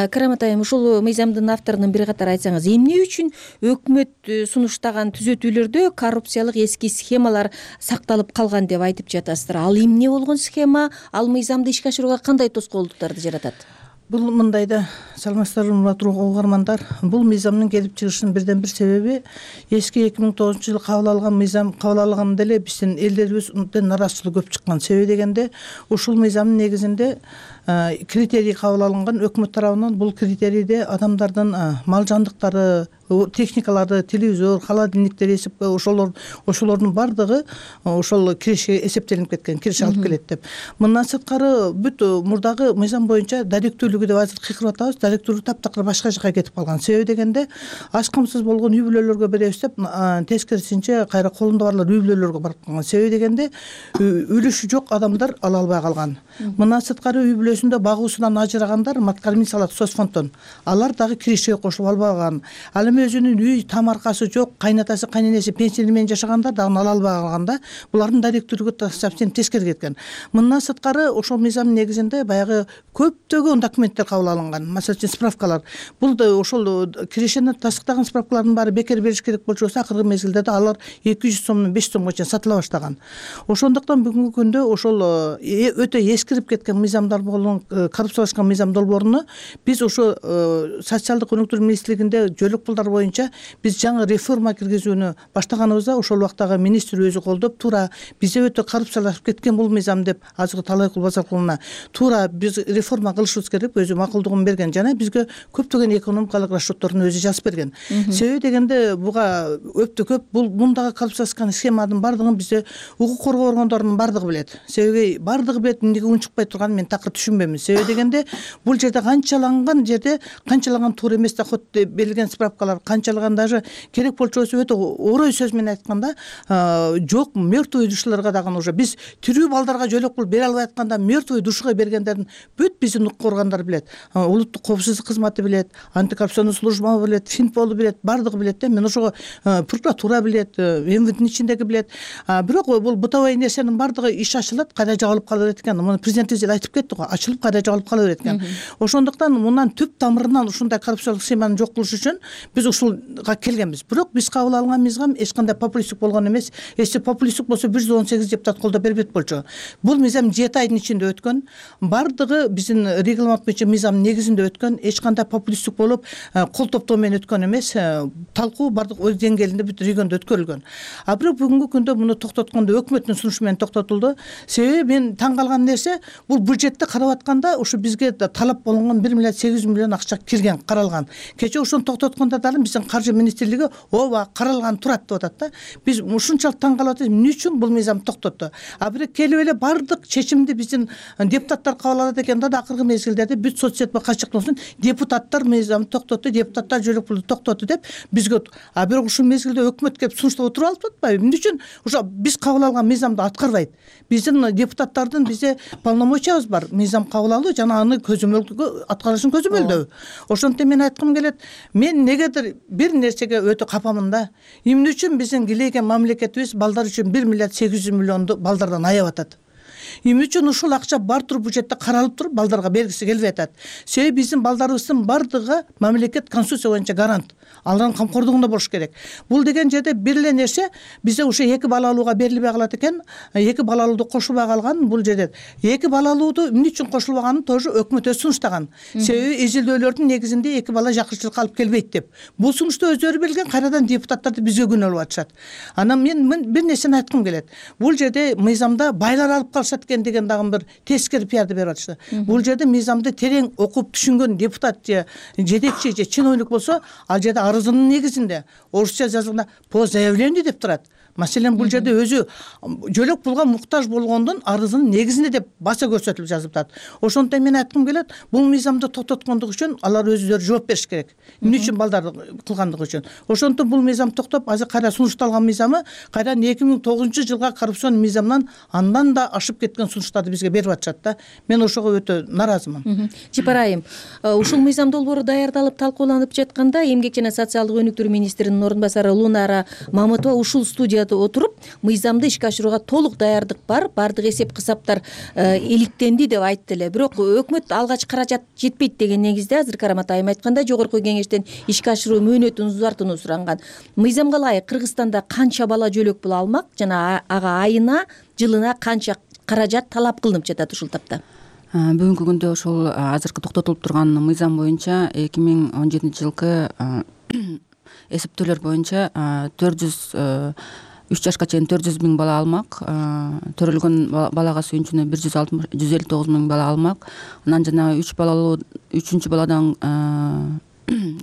Карамат айым, ушул мыйзамдын авторунун бири катары айтсаңыз, эмне үчүн өкмөт сунуштаган түзөтүүлөрдө коррупциялык эски схемалар сакталып калган деп айтып жатасыздар? Ал эмне болгон схема? Ал мыйзамды ишке ашырууга кандай тоскоолдуктарды жаратат? Бул мындай да, саламатсыздарбы урматтуу угармандар. Бул мыйзамдын келип чыгышынын бирден бир себеби эски эки миң тогузунчу жылы кабыл алган мыйзам кабыл алганда эле биздин элдерибизден нараазычылык көп чыккан. Себеби дегенде ушул мыйзамдын негизинде критерий кабыл алынган өкмөт тарабынан. Бул критерийде адамдардын мал жандыктары, техникалары, телевизор, холодильниктер эсепке ошолор ошолордун бардыгы ошол киришке эсептелип кеткен, кириш алып келет деп. Мындан сырткары бүт мурдагы мыйзам боюнча даректүүлүгү деп азыр кыйкырып атабыз, даректүүлүгү таптакыр башка жака кетип калган. Себеби дегенде ач камсыз болгон үй бүлөлөргө беребиз деп тескерисинче кайра колунда барлар үй бүлөлөргө барып калган. Себеби дегенде үлүшү жок адамдар ала албай калган. Мындан сырткары үй бүлөсүндө багуусунан ажырагандар, маткармицалык соцфонддон алар дагы киришке кошулуп албаган. Ал эми өзүнүн үй тамаркасы жок, кайнатасы, кайненеси пенсия менен жашагандар дагы ала албай калганда, булардын даректүүлүгү совсем тескери кеткен. Мындан сырткары ошол мыйзамдын негизинде баягы көптөгөн документтер кабыл алынган. Масалы үчүн справкалар. Бул да ошол киришени тастыктаган справкалардын баары бекер бериш керек болчу болсо, акыркы мезгилде да алар эки жүз сомдон беш жүз сомго чейин сатыла баштаган. Ошондуктан бүгүнкү күндө ошол өтө эскирип кеткен мыйзамдар болгон коррупциялашкан мыйзам долбооруну биз ошо социалдык өнүктүрүү министрлигинде жөлөк пулдар талаптар боюнча биз жаңы реформа киргизүүнү баштаганыбызда ошол убактагы министр өзү колдоп туура бизде өтө коррупциялашып кеткен бул мыйзам деп азыркы талай базаркулуна туура биз реформа кылышыбыз керек өзү макулдугун берген жана бизге көптөгөн экономикалык расчетторун өзү жазып берген. Себеби дегенде буга өтө көп бул мундагы коррупциялашкан схеманын бардыгын бизде укук коргоо органдорунун бардыгы билет. Себеби бардыгы билет, эмнеге унчукпай турганын мен такыр түшүнбөйм. Себеби дегенде бул жерде канчаланган жерде канчалаган туура эмес доход берилген справкалар, канчалаган даже керек болчу болсо өтө орой сөз менен айтканда жок мертвый душаларга дагы уже биз тирүү балдарга жөлөк пул бере албай атканда мертвый душага бергендердин бүт биздин укук органдары билет. Улуттук коопсуздук кызматы билет, антикоррупционный служба билет, Финпол билет, бардыгы билет да. Мен ошого прокуратура билет, МВДнин ичиндеги билет. Бирок бул бытовой нерсенин бардыгы иш ачылат, кайда жабылып кала берет экен. Муну президентибиз эле айтып кетти го, ачылып кайда жабылып кала берет экен. Ошондуктан мындан түп тамырынан ушундай коррупциялык схеманы жок кылыш үчүн биз ушулга келгенбиз. Бирок биз кабыл алган мыйзам эч кандай популисттик болгон эмес. Эссе популисттик болсо бир жүз он сегиз депутат колдоп бербейт болчу. Бул мыйзам жети айдын ичинде өткөн. Бардыгы биздин регламент боюнча мыйзамдын негизинде өткөн. Эч кандай популисттик болуп кол топтоо менен өткөн эмес. Талкуу бардык өз деңгээлинде бүт региондо өткөрүлгөн. А бирок бүгүнкү күндө муну токтоткондо өкмөттүн сунушу менен токтотулду. Себеби мен таң калган нерсе бул бюджетти карап атканда ушу бизге талап болгон бир миллиард сегиз жүз миллион акча кирген, каралган. Кечээ ошону токтоткондо дагы биздин каржы министрлиги ооба каралган турат деп атат да. Биз ушунчалык таң калып атабыз, эмне үчүн бул мыйзам токтотту? А бирок келип эле бардык чечимди биздин депутаттар кабыл алат экен да, акыркы мезгилдерде бүт соц сетьме качыктын депутаттар мыйзамды токтотту, депутаттар жөлөк пулду токтотту деп бизге. А бирок ушул мезгилде өкмөт келип сунуштап отуруп алып атпайбы? Эмне үчүн ошо биз кабыл алган мыйзамды аткарбайт? Биздин депутаттардын бизде полномочиябыз бар, мыйзам кабыл алуу жана аны көзөмөлдөө аткарышын көзөмөлдөө. Ошондуктан мен айткым келет, мен негедир бир нерсеге өтө капамын да. Эмне үчүн биздин килейген мамлекетибиз балдар үчүн бир миллиард сегиз жүз миллионду балдардан аяп атат? Эмне үчүн ушул акча бар туруп бюджетте каралып туруп балдарга бергиси келбей атат? Себеби биздин балдарыбыздын бардыгы мамлекет конституция боюнча гарант, алардын камкордугунда болуш керек. Бул деген жерде бир эле нерсе бизде ушу эки балалууга берилбей калат экен, эки балалууду кошулбай калган. Бул жерде эки балалууду эмне үчүн кошулбаганын тоже өкмөт өзү сунуштаган. Себеби изилдөөлөрдүн негизинде эки бала жакынчылыкка алып келбейт деп. Бул сунушту өздөрү берген, кайрадан депутаттарды бизге күнөөлөп атышат. Анан мен бир нерсени айткым келет. Бул жерде мыйзамда байлар алып калышат деген дагы бир тескери пиарды берип атышты. Бул жерде мыйзамды терең окуп түшүнгөн депутат же жетекчи же чиновник болсо, ал жерде арызынын негизинде орусча жазылганда по заявлению деп турат. Маселен бул жерде өзү жөлөк пулга муктаж болгондун арызынын негизинде деп баса көрсөтүлүп жазылып атат. Ошондуктан мен айткым келет, бул мыйзамды токтоткондук үчүн алар өздөрү жооп бериш керек. Эмне үчүн балдарды кылгандыгы үчүн. Ошондуктан бул мыйзам токтоп, азыр кайра сунушталган мыйзамы кайрадан эки миң тогузунчу жылга коррупцион мыйзамдан андан да ашып кеткен сунуштарды бизге берип атышат да. Мен ошого өтө наразымын. Жипар айым, ушул мыйзам долбоору даярдалып талкууланып жатканда эмгек жана социалдык өнүктүрүү министринин орун басары Лунара Мамытова ушул студияда отуруп, мыйзамды ишке ашырууга толук даярдык бар, бардык эсеп кысаптар иликтенди деп айтты эле. Бирок өкмөт алгач каражат жетпейт деген негизде азыр Карамат айым айткандай жогорку кеңештен ишке ашыруу мөөнөтүн узартууну суранган. Мыйзамга ылайык Кыргызстанда канча бала жөлөк пул алмак жана ага айына, жылына канча каражат талап кылынып жатат ушул тапта? Бүгүнкү күндө ошол азыркы токтотулуп турган мыйзам боюнча эки миң он жетинчи жылкы эсептөөлөр боюнча төрт жүз үч жашка чейин төрт жүз миң бала алмак, төрөлгөн балага сүйүнчүнө бир жүз алтымыш жүз элүү тогуз миң бала алмак. Анан жана үч балалуу үчүнчү баладан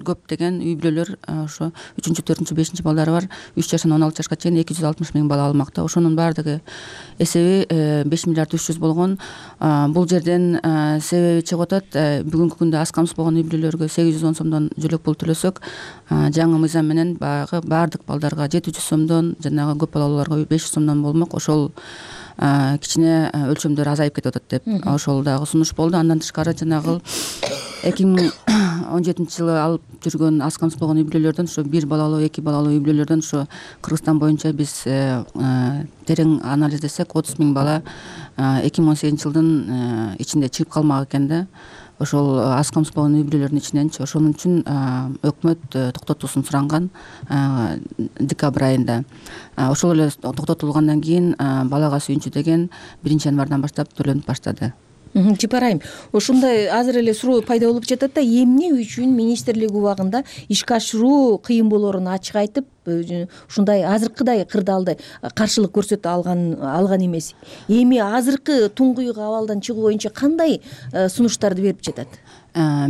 көп деген үй бүлөлөр ошо үчүнчү, төртүнчү, бешинчи балдары бар үч жаштан он алты жашка чейин эки жүз алтымыш миң бала алмакта. Ошонун баардыгы эсеби беш миллиард үч жүз болгон. Бул жерден себеби чыгып атат, бүгүнкү күндө аз камсыз болгон үй бүлөлөргө сегиз жүз он сомдон жөлөк пул төлөсөк, жаңы мыйзам менен баягы баардык балдарга жети жүз сомдон, жанагы көп балалууларга беш жүз сомдон болмок. Ошол кичине өлчөмдөр азайып кетип атат деп ошол дагы сунуш болду. Андан тышкары жанагы эки миң он жетинчи жылы алып жүргөн аз камсыз болгон үй бүлөлөрдөн, ошо бир балалуу, эки балалуу үй бүлөлөрдөн ошо Кыргызстан боюнча биз терең анализдесек отуз миң бала эки миң он сегизинчи жылдын ичинде чыгып калмак экен да. Ошол аз камсыз болгон үй бүлөлөрдүн ичиненчи. Ошонун үчүн өкмөт токтотуусун суранган декабрь айында. Ошол эле токтотулгандан кийин балага сүйүнчү деген биринчи январдан баштап төлөнүп баштады. Жыпарайым, ушундай азыр эле суроо пайда болуп жатат да, эмне үчүн министрлик убагында ишке ашыруу кыйын болоорун ачык айтып, ушундай азыркыдай кырдаалды каршылык көрсөтө алган алган эмес. Эми азыркы туңгуюк абалдан чыгуу боюнча кандай сунуштарды берип жатат?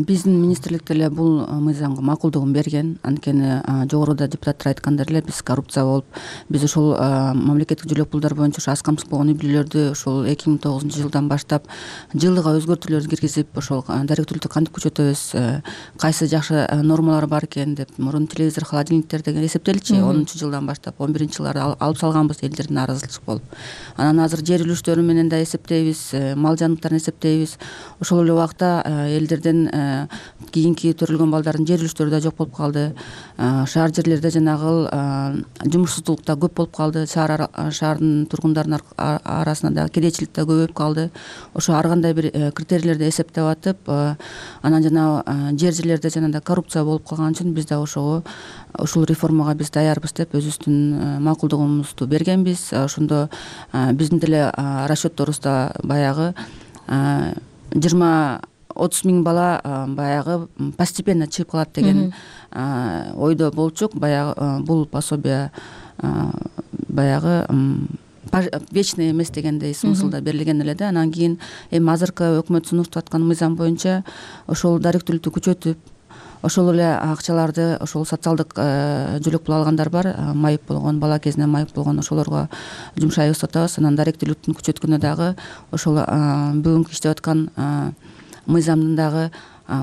Биздин министрлик деле бул мыйзамга макулдугун берген. Анткени жогоруда депутаттар айткандай эле биз коррупция болуп, биз ушул мамлекеттик жөлөк пулдар боюнча ошо аз камсыз болгон үй бүлөлөрдү ушул эки миң тогузунчу жылдан баштап жылыга өзгөртүүлөр киргизип, ошол даректүүлүктү кантип күчөтөбүз, кайсы жакшы нормалар бар экен деп мурун телевизор, холодильниктер деген эсептелчү. онунчу жылдан баштап он биринчи жылдары алып салганбыз элдердин нааразычылык болуп. Анан азыр жер үлүштөрү менен да эсептейбиз, мал жаныбарларын эсептейбиз. Ошол эле убакта элдердин кийинки төрөлгөн балдардын жер үлүштөрү да жок болуп калды. Шаар жерлерде жанагыл жумушсуздук да көп болуп калды. Шаар шаардын тургундарынын арасында да кедейчилик да көбөйүп калды. Ошо ар кандай бир критерийлерди эсептеп атып, анан жана жер жерлерде жанагындай коррупция болуп калган үчүн биз да ошого ушул реформага биз даярбыз деп өзүбүздүн макулдугубузду бергенбиз. Ошондо биздин деле расчетторубузда баягы жыйырма отуз миң бала баягы постепенно чыгып калат деген ойдо болчук. Баягы бул пособие баягы вечный эмес дегендей смыслда берилген эле да. Анан кийин эми азыркы өкмөт сунуштап аткан мыйзам боюнча ошол даректүүлүктү күчөтүп, ошол эле акчаларды ошол социалдык жөлөк пул алгандар бар, майып болгон, бала кезинен майып болгон, ошолорго жумшайбыз деп атабыз. Анан даректүүлүктүн күчөткөнү дагы ошол бүгүнкү иштеп аткан мыйзамдын дагы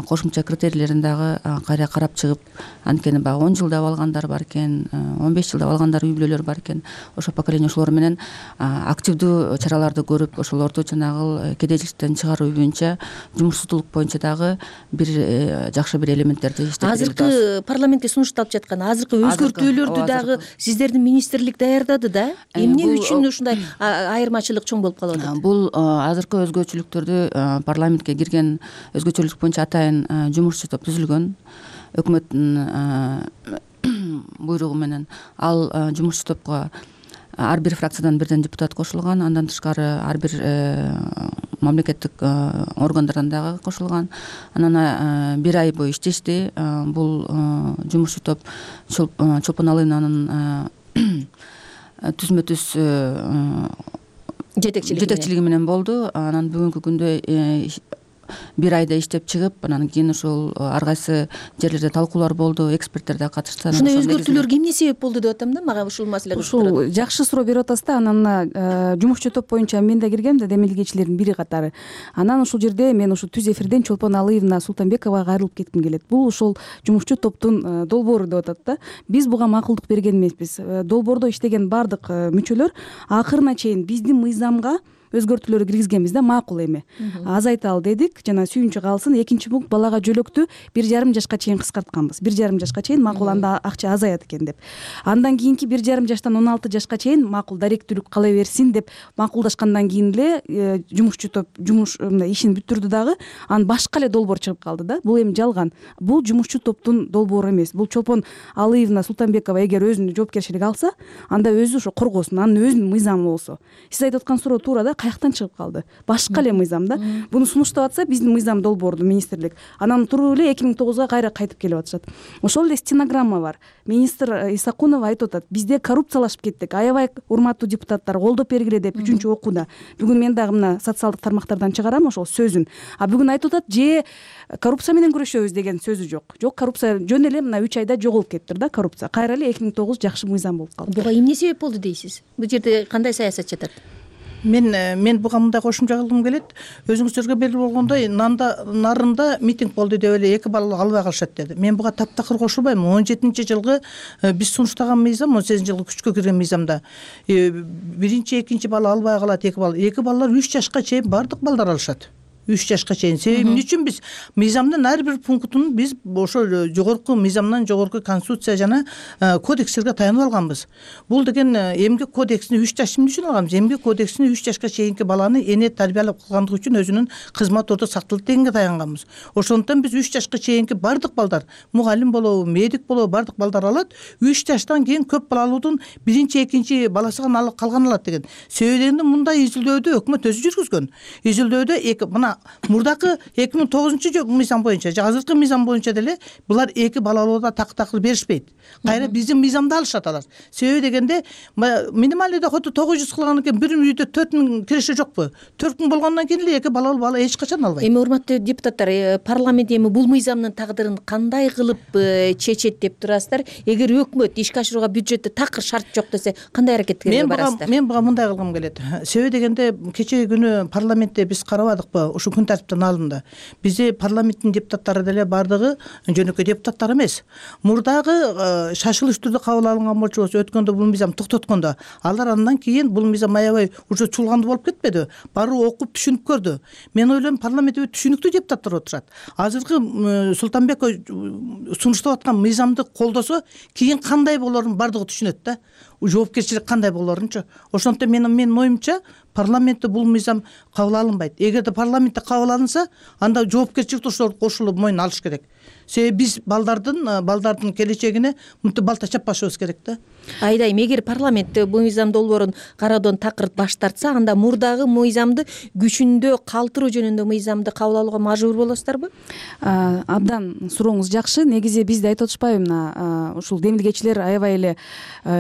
кошумча критерийлерин дагы кайра карап чыгып, анткени баягы он жылдап алгандар бар экен, он беш жылдап алгандар үй бүлөлөр бар экен. Ошол поколение ошолор менен активдүү чараларды көрүп, ошолорду жанагы кедейчиликтен чыгаруу боюнча, жумушсуздук боюнча дагы бир жакшы бир элементтерди иштеп беребиз. Азыркы парламентке сунушталып жаткан азыркы өзгөртүүлөрдү дагы сиздердин министрлик даярдады да? Эмне үчүн ушундай айырмачылык чоң болуп калып атат? Бул азыркы өзгөчөлүктөрдү парламентке кирген өзгөчөлүк боюнча атайын жумушчу топ түзүлгөн. Өкмөттүн буйругу менен ал жумушчу топко ар бир фракциядан бирден депутат кошулган. Андан тышкары ар бир мамлекеттик органдардан дагы кошулган. Анан бир ай бою иштешти. Бул жумушчу топ Чолпон Алыйнанын түзмө түз жетекчилиги менен болду. Анан бүгүнкү күндө бир айда иштеп чыгып, анан кийин ошол ар кайсы жерлерде талкуулар болду, эксперттер да катышты. Ушундай өзгөртүүлөргө эмне себеп болду деп атам да, мага ушул маселе кызыктырат. Ушул жакшы суроо берип атасыз да. Анан жумушчу топ боюнча мен да киргем да, демилгечилердин бири катары. Анан ушул жерде мен ушу түз эфирден Чолпон Алыевна Султанбековага кайрылып кетким келет. Бул ошол жумушчу топтун долбоору деп атат да. Биз буга макулдук берген эмеспиз. Долбоордо иштеген баардык мүчөлөр акырына чейин биздин мыйзамга өзгөртүүлөр киргизгенбиз да, макул эми азайталы дедик, жана сүйүнчү калсын. Экинчи пункт, балага жөлөктү бир жарым жашка чейин кыскартканбыз. бир жарым жашка чейин макул, анда акча азаят экен деп. Андан кийинки бир жарым жаштан он алты жашка чейин макул, даректүүлүк кала берсин деп макулдашкандан кийин эле жумушчу топ жумуш мындай ишин бүтүрдү дагы. Анан башка эле долбоор чыгып калды да. Бул эми жалган. Бул жумушчу топтун долбоору эмес. Бул Чолпон Алыевна Султанбекова эгер өзүнүн жоопкерчилиги алса, анда өзү ошо коргосун, анын өзүнүн мыйзамы болсо. Сиз айтып аткан суроо туура да, каяктан чыгып калды? Башка эле мыйзам да. Буну сунуштап атса биздин мыйзам долбоорду министрлик, анан туруп эле эки миң тогузга кайра кайтып келип атышат. Ошол эле стенограмма бар. Министр Исакунова айтып атат: бизде коррупциялашып кеттик, аябай урматтуу депутаттар, колдоп бергиле деп үчүнчү окууда. Бүгүн мен дагы мына социалдык тармактардан чыгарам ошол сөзүн. А бүгүн айтып атат: же коррупция менен күрөшөбүз деген сөзү жок. Жок, коррупция жөн эле мына үч айда жоголуп кетиптир да, коррупция. Кайра эле эки миң тогуз жакшы мыйзам болуп калды. Буга эмне себеп болду дейсиз? Бул жерде кандай саясат жатат? Мен мен буга мындай кошумча кылгым келет. Өзүңүздөргө белгилүү болгондой, Нанда нарында митинг болду деп эле эки балалы албай калышат деди. Мен буга таптакыр кошулбайм. он жетинчи жылгы биз сунуштаган мыйзам, он сегизинчи жылгы күчкө кирген мыйзамда биринчи, экинчи бала албай калат, эки бала. Эки балалар үч жашка чейин бардык балдар алышат. үч жашка чейин. Себеби эмне үчүн биз мыйзамдын ар бир пунктун биз ошо жогорку мыйзамдан, жогорку конституция жана кодекстерге таянып алганбыз. Бул деген эмгек кодексин үч жаш эмне үчүн алганбыз? Эмгек кодексин үч жашка чейинки баланы эне тарбиялап кылгандыгы үчүн өзүнүн кызмат ордо сакталат дегенге таянганбыз. Ошондуктан биз үч жашка чейинки бардык балдар, мугалим болобу, медик болобу, бардык балдар алат. үч жаштан кийин көп балалуудун биринчи, экинчи баласы гана калган алат деген. Себеби мындай изилдөөдү өкмөт өзү жүргүзгөн. Изилдөөдө эки мына жана мурдакы эки миң тогузунчу мыйзам боюнча же азыркы мыйзам боюнча деле булар эки балалууда так такыр беришпейт. Кайра биздин мыйзамды алышат алар. Себеби дегенде минимальный доходду тогуз жүз кылгандан кийин бир үйдө төрт миң киреше жокпу? төрт миң болгондон кийин эле эки балалуу бала эч качан албайт. Эми урматтуу депутаттар, парламент эми бул мыйзамдын тагдырын кандай кылып чечет деп турасыздар? Эгер өкмөт ишке ашырууга бюджетте такыр шарт жок десе, кандай аракетке барасыздар? Мен буга мындай кылгым келет. Себеби дегенде кечеги күнү парламентте биз карабадыкпы ушу күн тартиптин алымында? Бизде парламенттин депутаттары деле бардыгы жөнөкөй депутаттар эмес. Мурдагы шашылыш түрдө кабыл алынган болчу өткөндө бул мыйзам токтоткондо алар андан кийин бул мыйзам аябай уже чулгандуу болуп кетпеди. Баруу окуп түшүнүп көрдү. Мен ойлойм парламентте түшүнүктүү депутаттар отурат. Азыркы Султанбеков сунуштап аткан мыйзамды колдосо кийин кандай болорун бардыгы түшүнөт да. Жоопкерчилик кандай болорунчу. Ошондуктан менин менин оюмча парламентте бул мыйзам кабыл алынбайт. Эгерде парламентте кабыл алынса, анда жоопкерчиликти ошолор кошулуп мойнуна алыш керек. Себеби биз балдардын балдардын келечегине мынтип балта чаппашыбыз керек да. Айдайм, эгер парламент бул мыйзам долбоорун кароодон такыр баш тартса, анда мурдагы мыйзамды күчүндө калтыруу жөнүндө мыйзамды кабыл алууга мажбур болосуздарбы? Абдан сурооңуз жакшы. Негизи бизди айтып атышпайбы, мына ушул демилгечилер аябай эле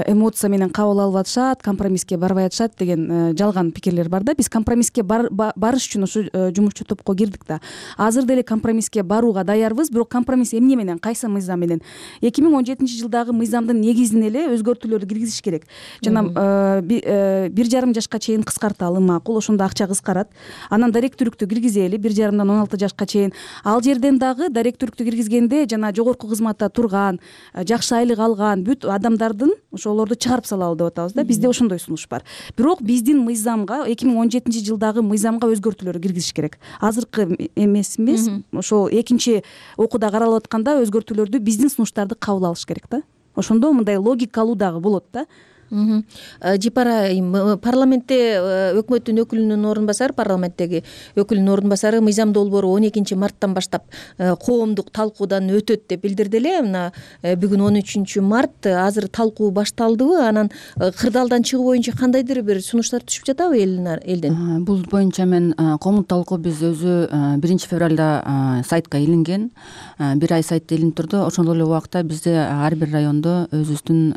эмоция менен кабыл алып атышат, компромисске барбай атышат деген жалган пикирлер бар да. Биз компромисске барыш үчүн ушу жумушчу топко кирдик да. Азыр деле компромисске барууга даярбыз, бирок компромисс эмне менен, кайсы мыйзам менен? эки миң он жетинчи жылдагы мыйзамдын негизин эле өзгөртүүлөрдү киргизиш керек. Жана бир жарым жашка чейин кыскарталы макул, ошондо акча кыскарат. Анан даректүүлүктү киргизели бир жарымдан он алты жашка чейин. Ал жерден дагы даректүүлүктү киргизгенде жана жогорку кызматта турган, жакшы айлык алган бүт адамдардын ошолорду чыгарып салалы деп атабыз да. Бизде ошондой сунуш бар. Бирок биздин мыйзамга эки миң он жетинчи жылдагы мыйзамга өзгөртүүлөр киргизиш керек. Азыркы эмес эмес, ошол экинчи окууда каралып атканда өзгөртүүлөрдү биздин сунуштарды кабыл алыш керек да. Ошондо мындай логикалуу дагы болот да. Жипар айым, парламентте өкмөттүн өкүлүнүн орун басары, парламенттеги өкүлүнүн орун басары мыйзам долбоору он экинчи марттан баштап коомдук талкуудан өтөт деп билдирди эле. Мына бүгүн он үчүнчү март, азыр талкуу башталдыбы? Анан кырдаалдан чыгуу боюнча кандайдыр бир сунуштар түшүп жатабы элден? Бул боюнча мен коомдук талкуу биз өзү биринчи февралда сайтка илинген, бир ай сайтта илинип турду. Ошол эле убакта бизде ар бир райондо өзүбүздүн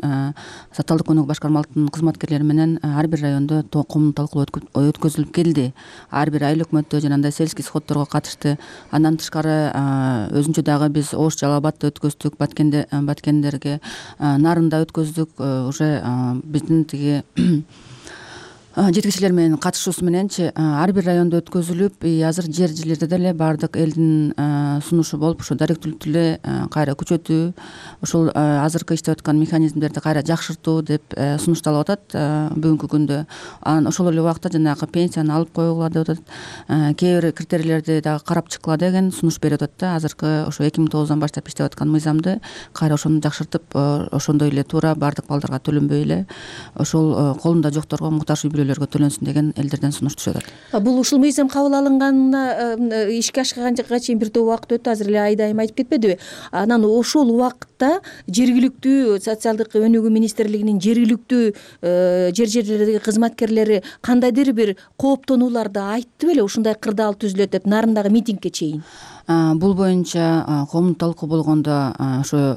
социалдык көмөк башкармалыктын кызматкерлери менен ар бир райондо коомдук талкуу өткөзүлүп келди. Ар бир айыл өкмөттө жанагындай сельский сходдорго катышты. Андан тышкары өзүнчө дагы биз Ош, Жалал Абадта өткөздүк, Баткенде Баткендерге, Нарында өткөздүк. Уже биздин тиги жетекчилер менен катышуусу мененчи ар бир райондо өткөзүлүп, азыр жер жерлерде деле баардык элдин сунушу болуп, ошо даректүүлүктү эле кайра күчөтүү, ошол азыркы иштеп аткан механизмдерди кайра жакшыртуу деп сунушталып атат бүгүнкү күндө. Анан ошол эле убакта жанагы пенсияны алып коюула деп атат, кээ бир критерийлерди дагы карап чыккыла деген сунуш берип атат да. Азыркы ошо эки миң тогуздан баштап иштеп аткан мыйзамды кайра ошону жакшыртып, ошондой эле туура баардык балдарга төлөнбөй эле ошол колунда жокторго, муктаж үй бүлөлөргө төлөнсүн деген элдерден сунуш түшүп атат. Бул ушул мыйзам кабыл алынганына ишке ашканга чейин бир топ убакыт өттү, азыр эле Айдайым айтып кетпедиби? Анан ошол убакытта жергиликтүү социалдык өнүгүү министрлигинин жергиликтүү жер жерлердеги кызматкерлери кандайдыр бир кооптонууларды айтты беле, ушундай кырдаал түзүлөт деп, Нарындагы митингке чейин? Бул боюнча коомдук талкуу болгондо ошо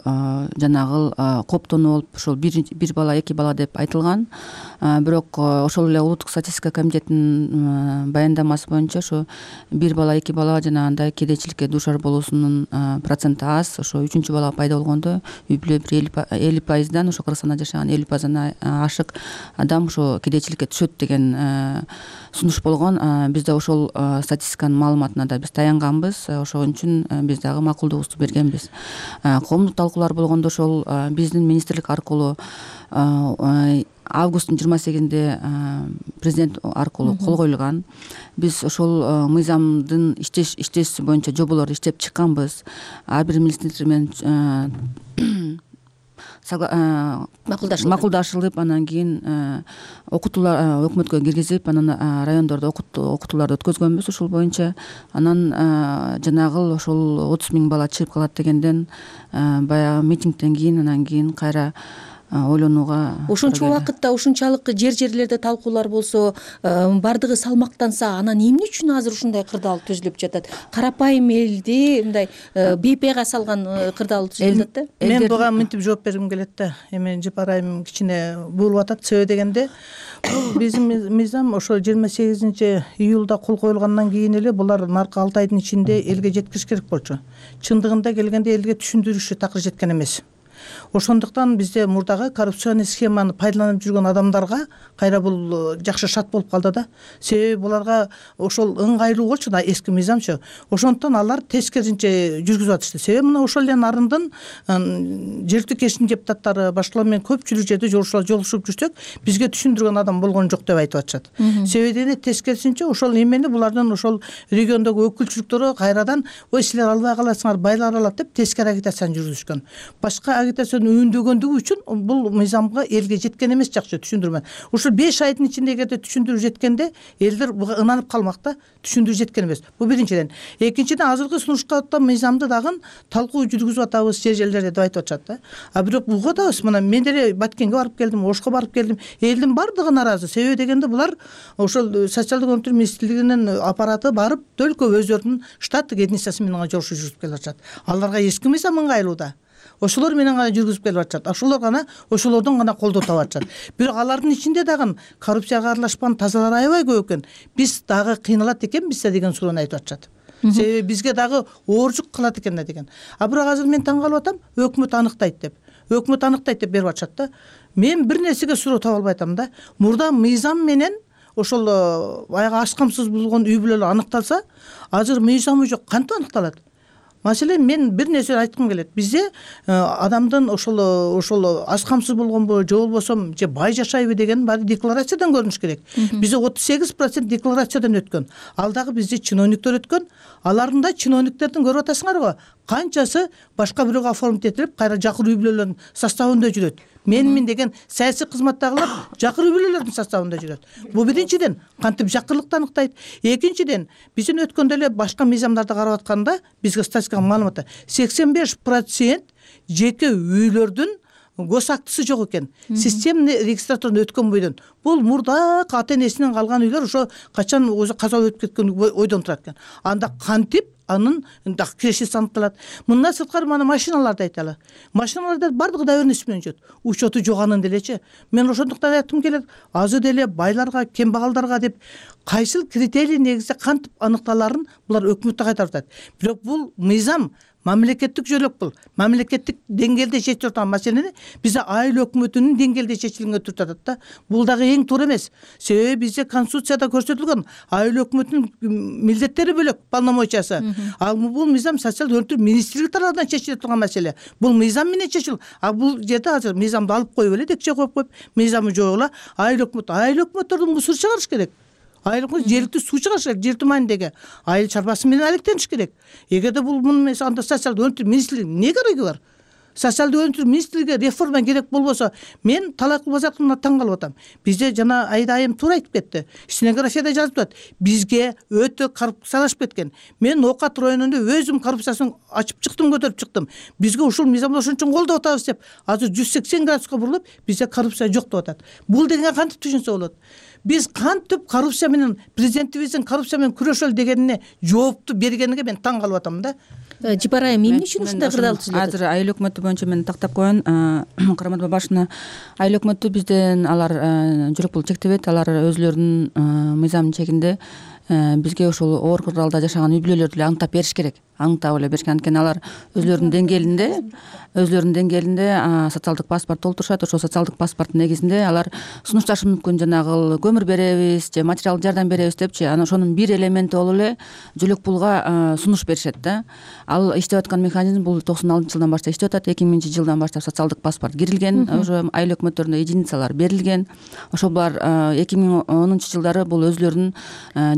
жанагы кооптонуу болуп, ошол бир бала, эки бала деп айтылган. Бирок ошол эле улуттук статистика комитетинин баяндамасы боюнча ошо бир бала, эки бала жанагындай кедейчиликке дуушар болуусунун проценти аз. Ошо үчүнчү бала пайда болгондо үй бүлө бир элүү пайыздан, ошо Кыргызстанда жашаган элүү пайыздан ашык адам ошо кедейчиликке түшөт деген сунуш болгон. Бизде ошол статистиканын маалыматына да биз таянганбыз. Ошон үчүн биз дагы макулдугубузду бергенбиз. Коомдук талкуулар болгондо ошол биздин министрлик аркылуу августтун жыйырма сегизинде президент аркылуу кол коюлган. Биз ошол мыйзамдын иштеш иштеши боюнча жоболорду иштеп чыкканбыз. Ар бир министрлик менен макулдашылып, анан кийин окутуулар өкмөткө киргизип, анан райондордо окутууларды өткөзгөнбүз ушул боюнча. Анан жанагы ошол отуз миң бала чыгып калат дегенден баягы митингден кийин, анан кийин кайра ойлонууга. Ошончо убакытта ушунчалык жер жерлерде талкуулар болсо, бардыгы салмактанса, анан эмне үчүн азыр ушундай кырдаал түзүлүп жатат? Карапайым элди мындай бейпайга салган кырдаал түзүлүп жатат да. Мен буга мынтип жооп бергим келет да. Эми Жапарайым кичине буулуп атат. Себеби дегенде, бул биздин мыйзам ошо жыйырма сегизинчи июлда кол коюлгандан кийин эле булар наркы алты айдын ичинде элге жеткириш керек болчу. Чындыгында келгенде элге түшүндүрүшү такыр жеткен эмес. Ошондуктан бизде мурдагы коррупционный схеманы пайдаланып жүргөн адамдарга кайра бул жакшы шарт болуп калды да. Себеби буларга ошол ыңгайлуу болчу да эски мыйзамчы. Ошондуктан алар тескерисинче жүргүзүп атышты. Себеби мына ошол эле нарындын жергиликтүү кеңештин депутаттары башкалар менен көпчүлүк жерде жолугушуп жүрсөк, бизге түшүндүргөн адам болгон жок деп айтып атышат. Себеби тескерисинче ошол эмени булардын ошол региондогу өкүлчүлүктөрү кайрадан ой силер албай каласыңар, байлар алат деп тескери агитацияны жүргүзүшкөн. Башка агитацияны үндөгөндүгү үчүн бул мыйзамга элге жеткен эмес жакшы түшүндүрмө. Ушул беш айдын ичинде эгерде түшүндүрүп жеткенде элдер буга ынанып калмак да, түшүндүрүп жеткен эмес. Бул биринчиден. Экинчиден азыркы сунушка мыйзамды дагы талкуу жүргүзүп атабыз жер жерлерде деп айтып атышат да. А бирок буга атабыз, мына мен деле Баткенге барып келдим, Ошко барып келдим. Элдин бардыгы нааразы. Себеби дегенде булар ошол социалдык өмүрдүн министрлигинин аппараты барып төлкө өздөрүнүн штаттык единицасы менен жолугушуу жүргүзүп келип атышат. Аларга эски мыйзам ыңгайлуу да. Ошолор менен гана жүргүзүп келип атышат. Ошолор гана ошолордон гана колдоо таап атышат. Бирок алардын ичинде дагы коррупцияга аралашкан тазалар аябай көп экен. Биз дагы кыйналат экенбиз да деген суроону айтып атышат. Себеби бизге дагы оорчук кылат экен да деген. А бирок азыр мен таң калып атам, өкмөт аныктайт деп. Өкмөт аныктайт деп берип атышат да. Мен бир нерсеге суроо таба албай атам да. Мурда мыйзам менен ошол баягы аш камсыз болгон үй бүлөлөр аныкталса, азыр мыйзамы жок, кантип аныкталат? Маселен, мен бир нерсе айткым келет. Бизде адамдын ошол ошол аш камсыз болгонбу, же болбосо же бай жашайбы деген баары декларациядан көрүнүш керек. Бизде отуз сегиз процент декларациядан өткөн. Ал дагы бизде чиновниктер өткөн. Алардын да чиновниктердин көрүп атасыңарбы? Канчасы башка бирөөгө оформить этилип, кайра жакыр үй бүлөлөрдүн составында жүрөт. Менмин деген саясий кызматтагылар жакыр үй бүлөлөрдүн составында жүрөт. Бул биринчиден кантип жакырлыкты аныктайт. Экинчиден, биздин өткөндө эле башка мыйзамдарды карап атканда бизге статистикалык маалыматта сексен беш процент жеке үйлөрдүн гос актысы жок экен. Системный регистратурдан өткөн бойдон. Бул мурда ата энесинен калган үйлөр ошо качан өзү каза өтүп кеткен ойдон турат экен. Анда кантип анын дагы кирешеси аныкталат. Мындан сырткары мана машиналарды айталы. Машиналарда бардыгы доверенность менен жүрөт. Учету жок анын делечи. Мен ошондуктан айткым келет, азыр деле байларга, кембагалдарга деп кайсыл критерий негизде кантип аныкталарын булар өкмөттө кайтарып атат. Бирок бул мыйзам мамлекеттик жөлөк бул. Мамлекеттик деңгээлде чечилип турган маселени бизде айыл өкмөтүнүн деңгээлде чечилгенге туртуп атат да. Бул дагы эң туура эмес. Себеби бизде конституцияда көрсөтүлгөн айыл өкмөтүнүн милдеттери бөлөк, полномочиясы. Ал бул мыйзам социалдык өмүр министрлиги тарабынан чечилип турган маселе. Бул мыйзам менен чечил. А бул жерде азыр мыйзамды алып коюп эле декче коюп коюп, мыйзамы жок эле айыл өкмөт, айыл өкмөттөрдүн мусор чыгарыш керек. Айыл өкмөт жергиликтүү суу чыгарыш керек, жер маанидеги айыл чарбасы менен алектениш керек. Эгерде бул муну анда социалдык өмүр министрлиги эмне кереги бар? Социалдык өмүр министрлиги реформа керек болбосо, мен талай базаркына таң калып атам. Бизде жана Айда айым туура айтып кетти. Стенографияда жазып атат. Бизге өтө коррупциялашып кеткен. Мен Оокат районунда өзүм коррупциясын ачып чыктым, көтөрүп чыктым. Бизге ушул мыйзамды ошон үчүн колдоп атабыз деп, азыр жүз сексен градуска бурулуп, бизде коррупция жок деп атат. Бул дегенге кантип түшүнсө болот? Биз кантип коррупция менен президентибиздин коррупция менен күрөшөлү дегенине жоопту бергениге мен таң калып атам да. Жибарайым, эмне үчүн ушундай кырдаал түзүлөт? Азыр айыл өкмөтү боюнча мен тактап коеюн. Караматова башына айыл өкмөтү бизден алар жүрөк бул чектебейт. Алар өзүлөрүнүн мыйзамдын чегинде бизге ошол оор кырдаалда жашаган үй бүлөлөрдү эле аңтап бериш керек. Аңтап эле бериш керек. Анткени алар өзүлөрүнүн деңгээлинде, өзүлөрүнүн деңгээлинде социалдык паспорт толтурушат. Ошол социалдык паспорттун негизинде алар сунушташы мүмкүн, жанагы көмүр беребиз же материалдык жардам беребиз депчи. Анан ошонун бир элементи болуп эле жөлөк пулга сунуш беришет да. Ал иштеп аткан механизм бул токсон алтынчы жылдан баштап иштеп атат. эки миңинчи жылдан баштап социалдык паспорт кирилген, уже айыл өкмөттөрүнө единицалар берилген. Ошол бар эки миң онунчу жылдары бул өзүлөрүнүн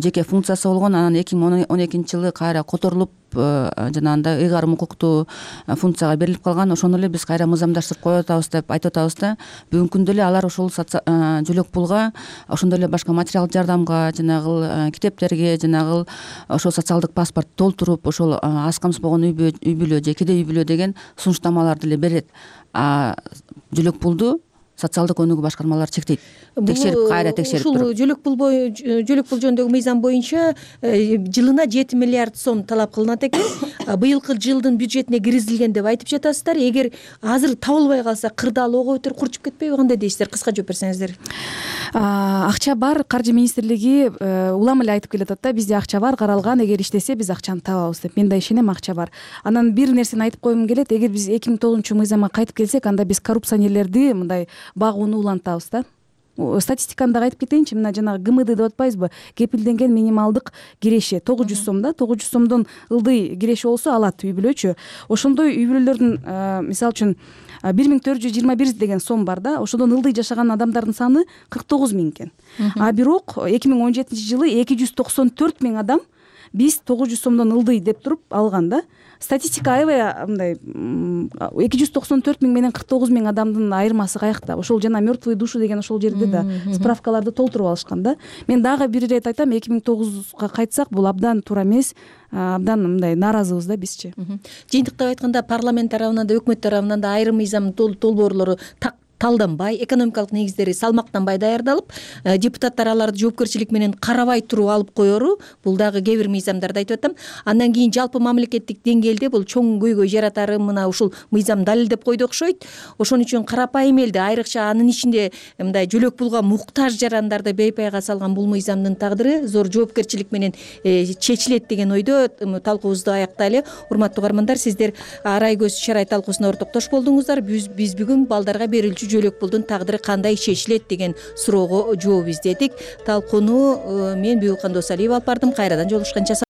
жеке биринчи функциясы болгон, анан эки миң он экинчи жылы кайра которулуп жанагындай ыйгарым укуктуу функцияга берилип калган. Ошону эле биз кайра мыйзамдаштырып коюп атабыз деп айтып атабыз да. Бүгүнкү күндө эле алар ошол жөлөк пулга, ошондой эле башка материалдык жардамга, жанагы китептерге, жанагы ошол социалдык паспорт толтуруп, ошол аз камсызбогон үй бүлө же кедей үй бүлө деген сунуштамаларды эле берет. А жөлөк пулду социалдык өнүгүү башкармалары чектейт. Текшерип кайра текшерип туруп. Ушул жөлөк пул жөлөк пул жөнүндөгү мыйзам боюнча жылына жети миллиард сом талап кылынат экен. Быйылкы жылдын бюджетине киргизилген деп айтып жатасыздар. Эгер азыр табылбай калса, кырдаал ого бетер курчуп кетпейби? Кандай дейсиздер? Кыска жооп берсеңиздер. Акча бар, каржы министрлиги улам эле айтып келатат да, бизде акча бар, каралган, эгер иштесе биз акчаны табабыз деп. Мен да ишенем, акча бар. Анан бир нерсени айтып койгум келет. Эгер биз эки миң тогузунчу мыйзамга кайтып келсек, анда биз коррупционерлерди мындай багууну улантабыз да. Статистиканы дагы айтып кетейинчи. Мына жанагы ГМД деп атпайбызбы? Кепилденген минималдык киреше тогуз жүз сом да. тогуз жүз сомдон ылдый киреше болсо алат үй бүлөчү. Ошондой үй бүлөлөрдүн мисалы үчүн бир миң төрт жүз жыйырма бир деген сом бар да. Ошодон ылдый жашаган адамдардын саны кырк тогуз миң экен. А бирок эки миң он жетинчи жылы эки жүз токсон төрт миң адам биз тогуз жүз сомдон ылдый деп туруп алган да. Статистика аябай мындай эки жүз токсон төрт миң менен кырк тогуз миң адамдын айырмасы каякта? Ошол жана мертвые души деген ошол жерде да справкаларды толтуруп алышкан да. Мен дагы бир ирет айтам, эки миң тогузга кайтсак бул абдан туура эмес, абдан мындай нааразыбыз да бизчи. Жыйынтыктап айтканда парламент тарабынан да, өкмөт тарабынан да айрым мыйзам долбоорлору талданбай, экономикалык негиздери салмактанбай даярдалып, депутаттар аларды жоопкерчилик менен карабай туруп алып коеру. Бул дагы кээ бир мыйзамдарда айтып атам. Андан кийин жалпы мамлекеттик деңгээлде бул чоң көйгөй жаратары мына ушул мыйзам далилдеп койду окшойт. Ошон үчүн карапайым элди, айрыкча анын ичинде мындай жөлөк пулга муктаж жарандарды бейпайга салган бул мыйзамдын тагдыры зор жоопкерчилик менен чечилет деген ойдо талкуубузду аяктайлы. Урматтуу угармандар, сиздер Арай көз чарай талкуусуна ортоктош болдуңуздар. Биз бүгүн балдарга берилчү жөлөк пулдун тагдыры кандай чечилет деген суроого жооп издедик. Талкууну мен Бүйүкхан Досалиева алып бардым. Кайрадан жолугушканча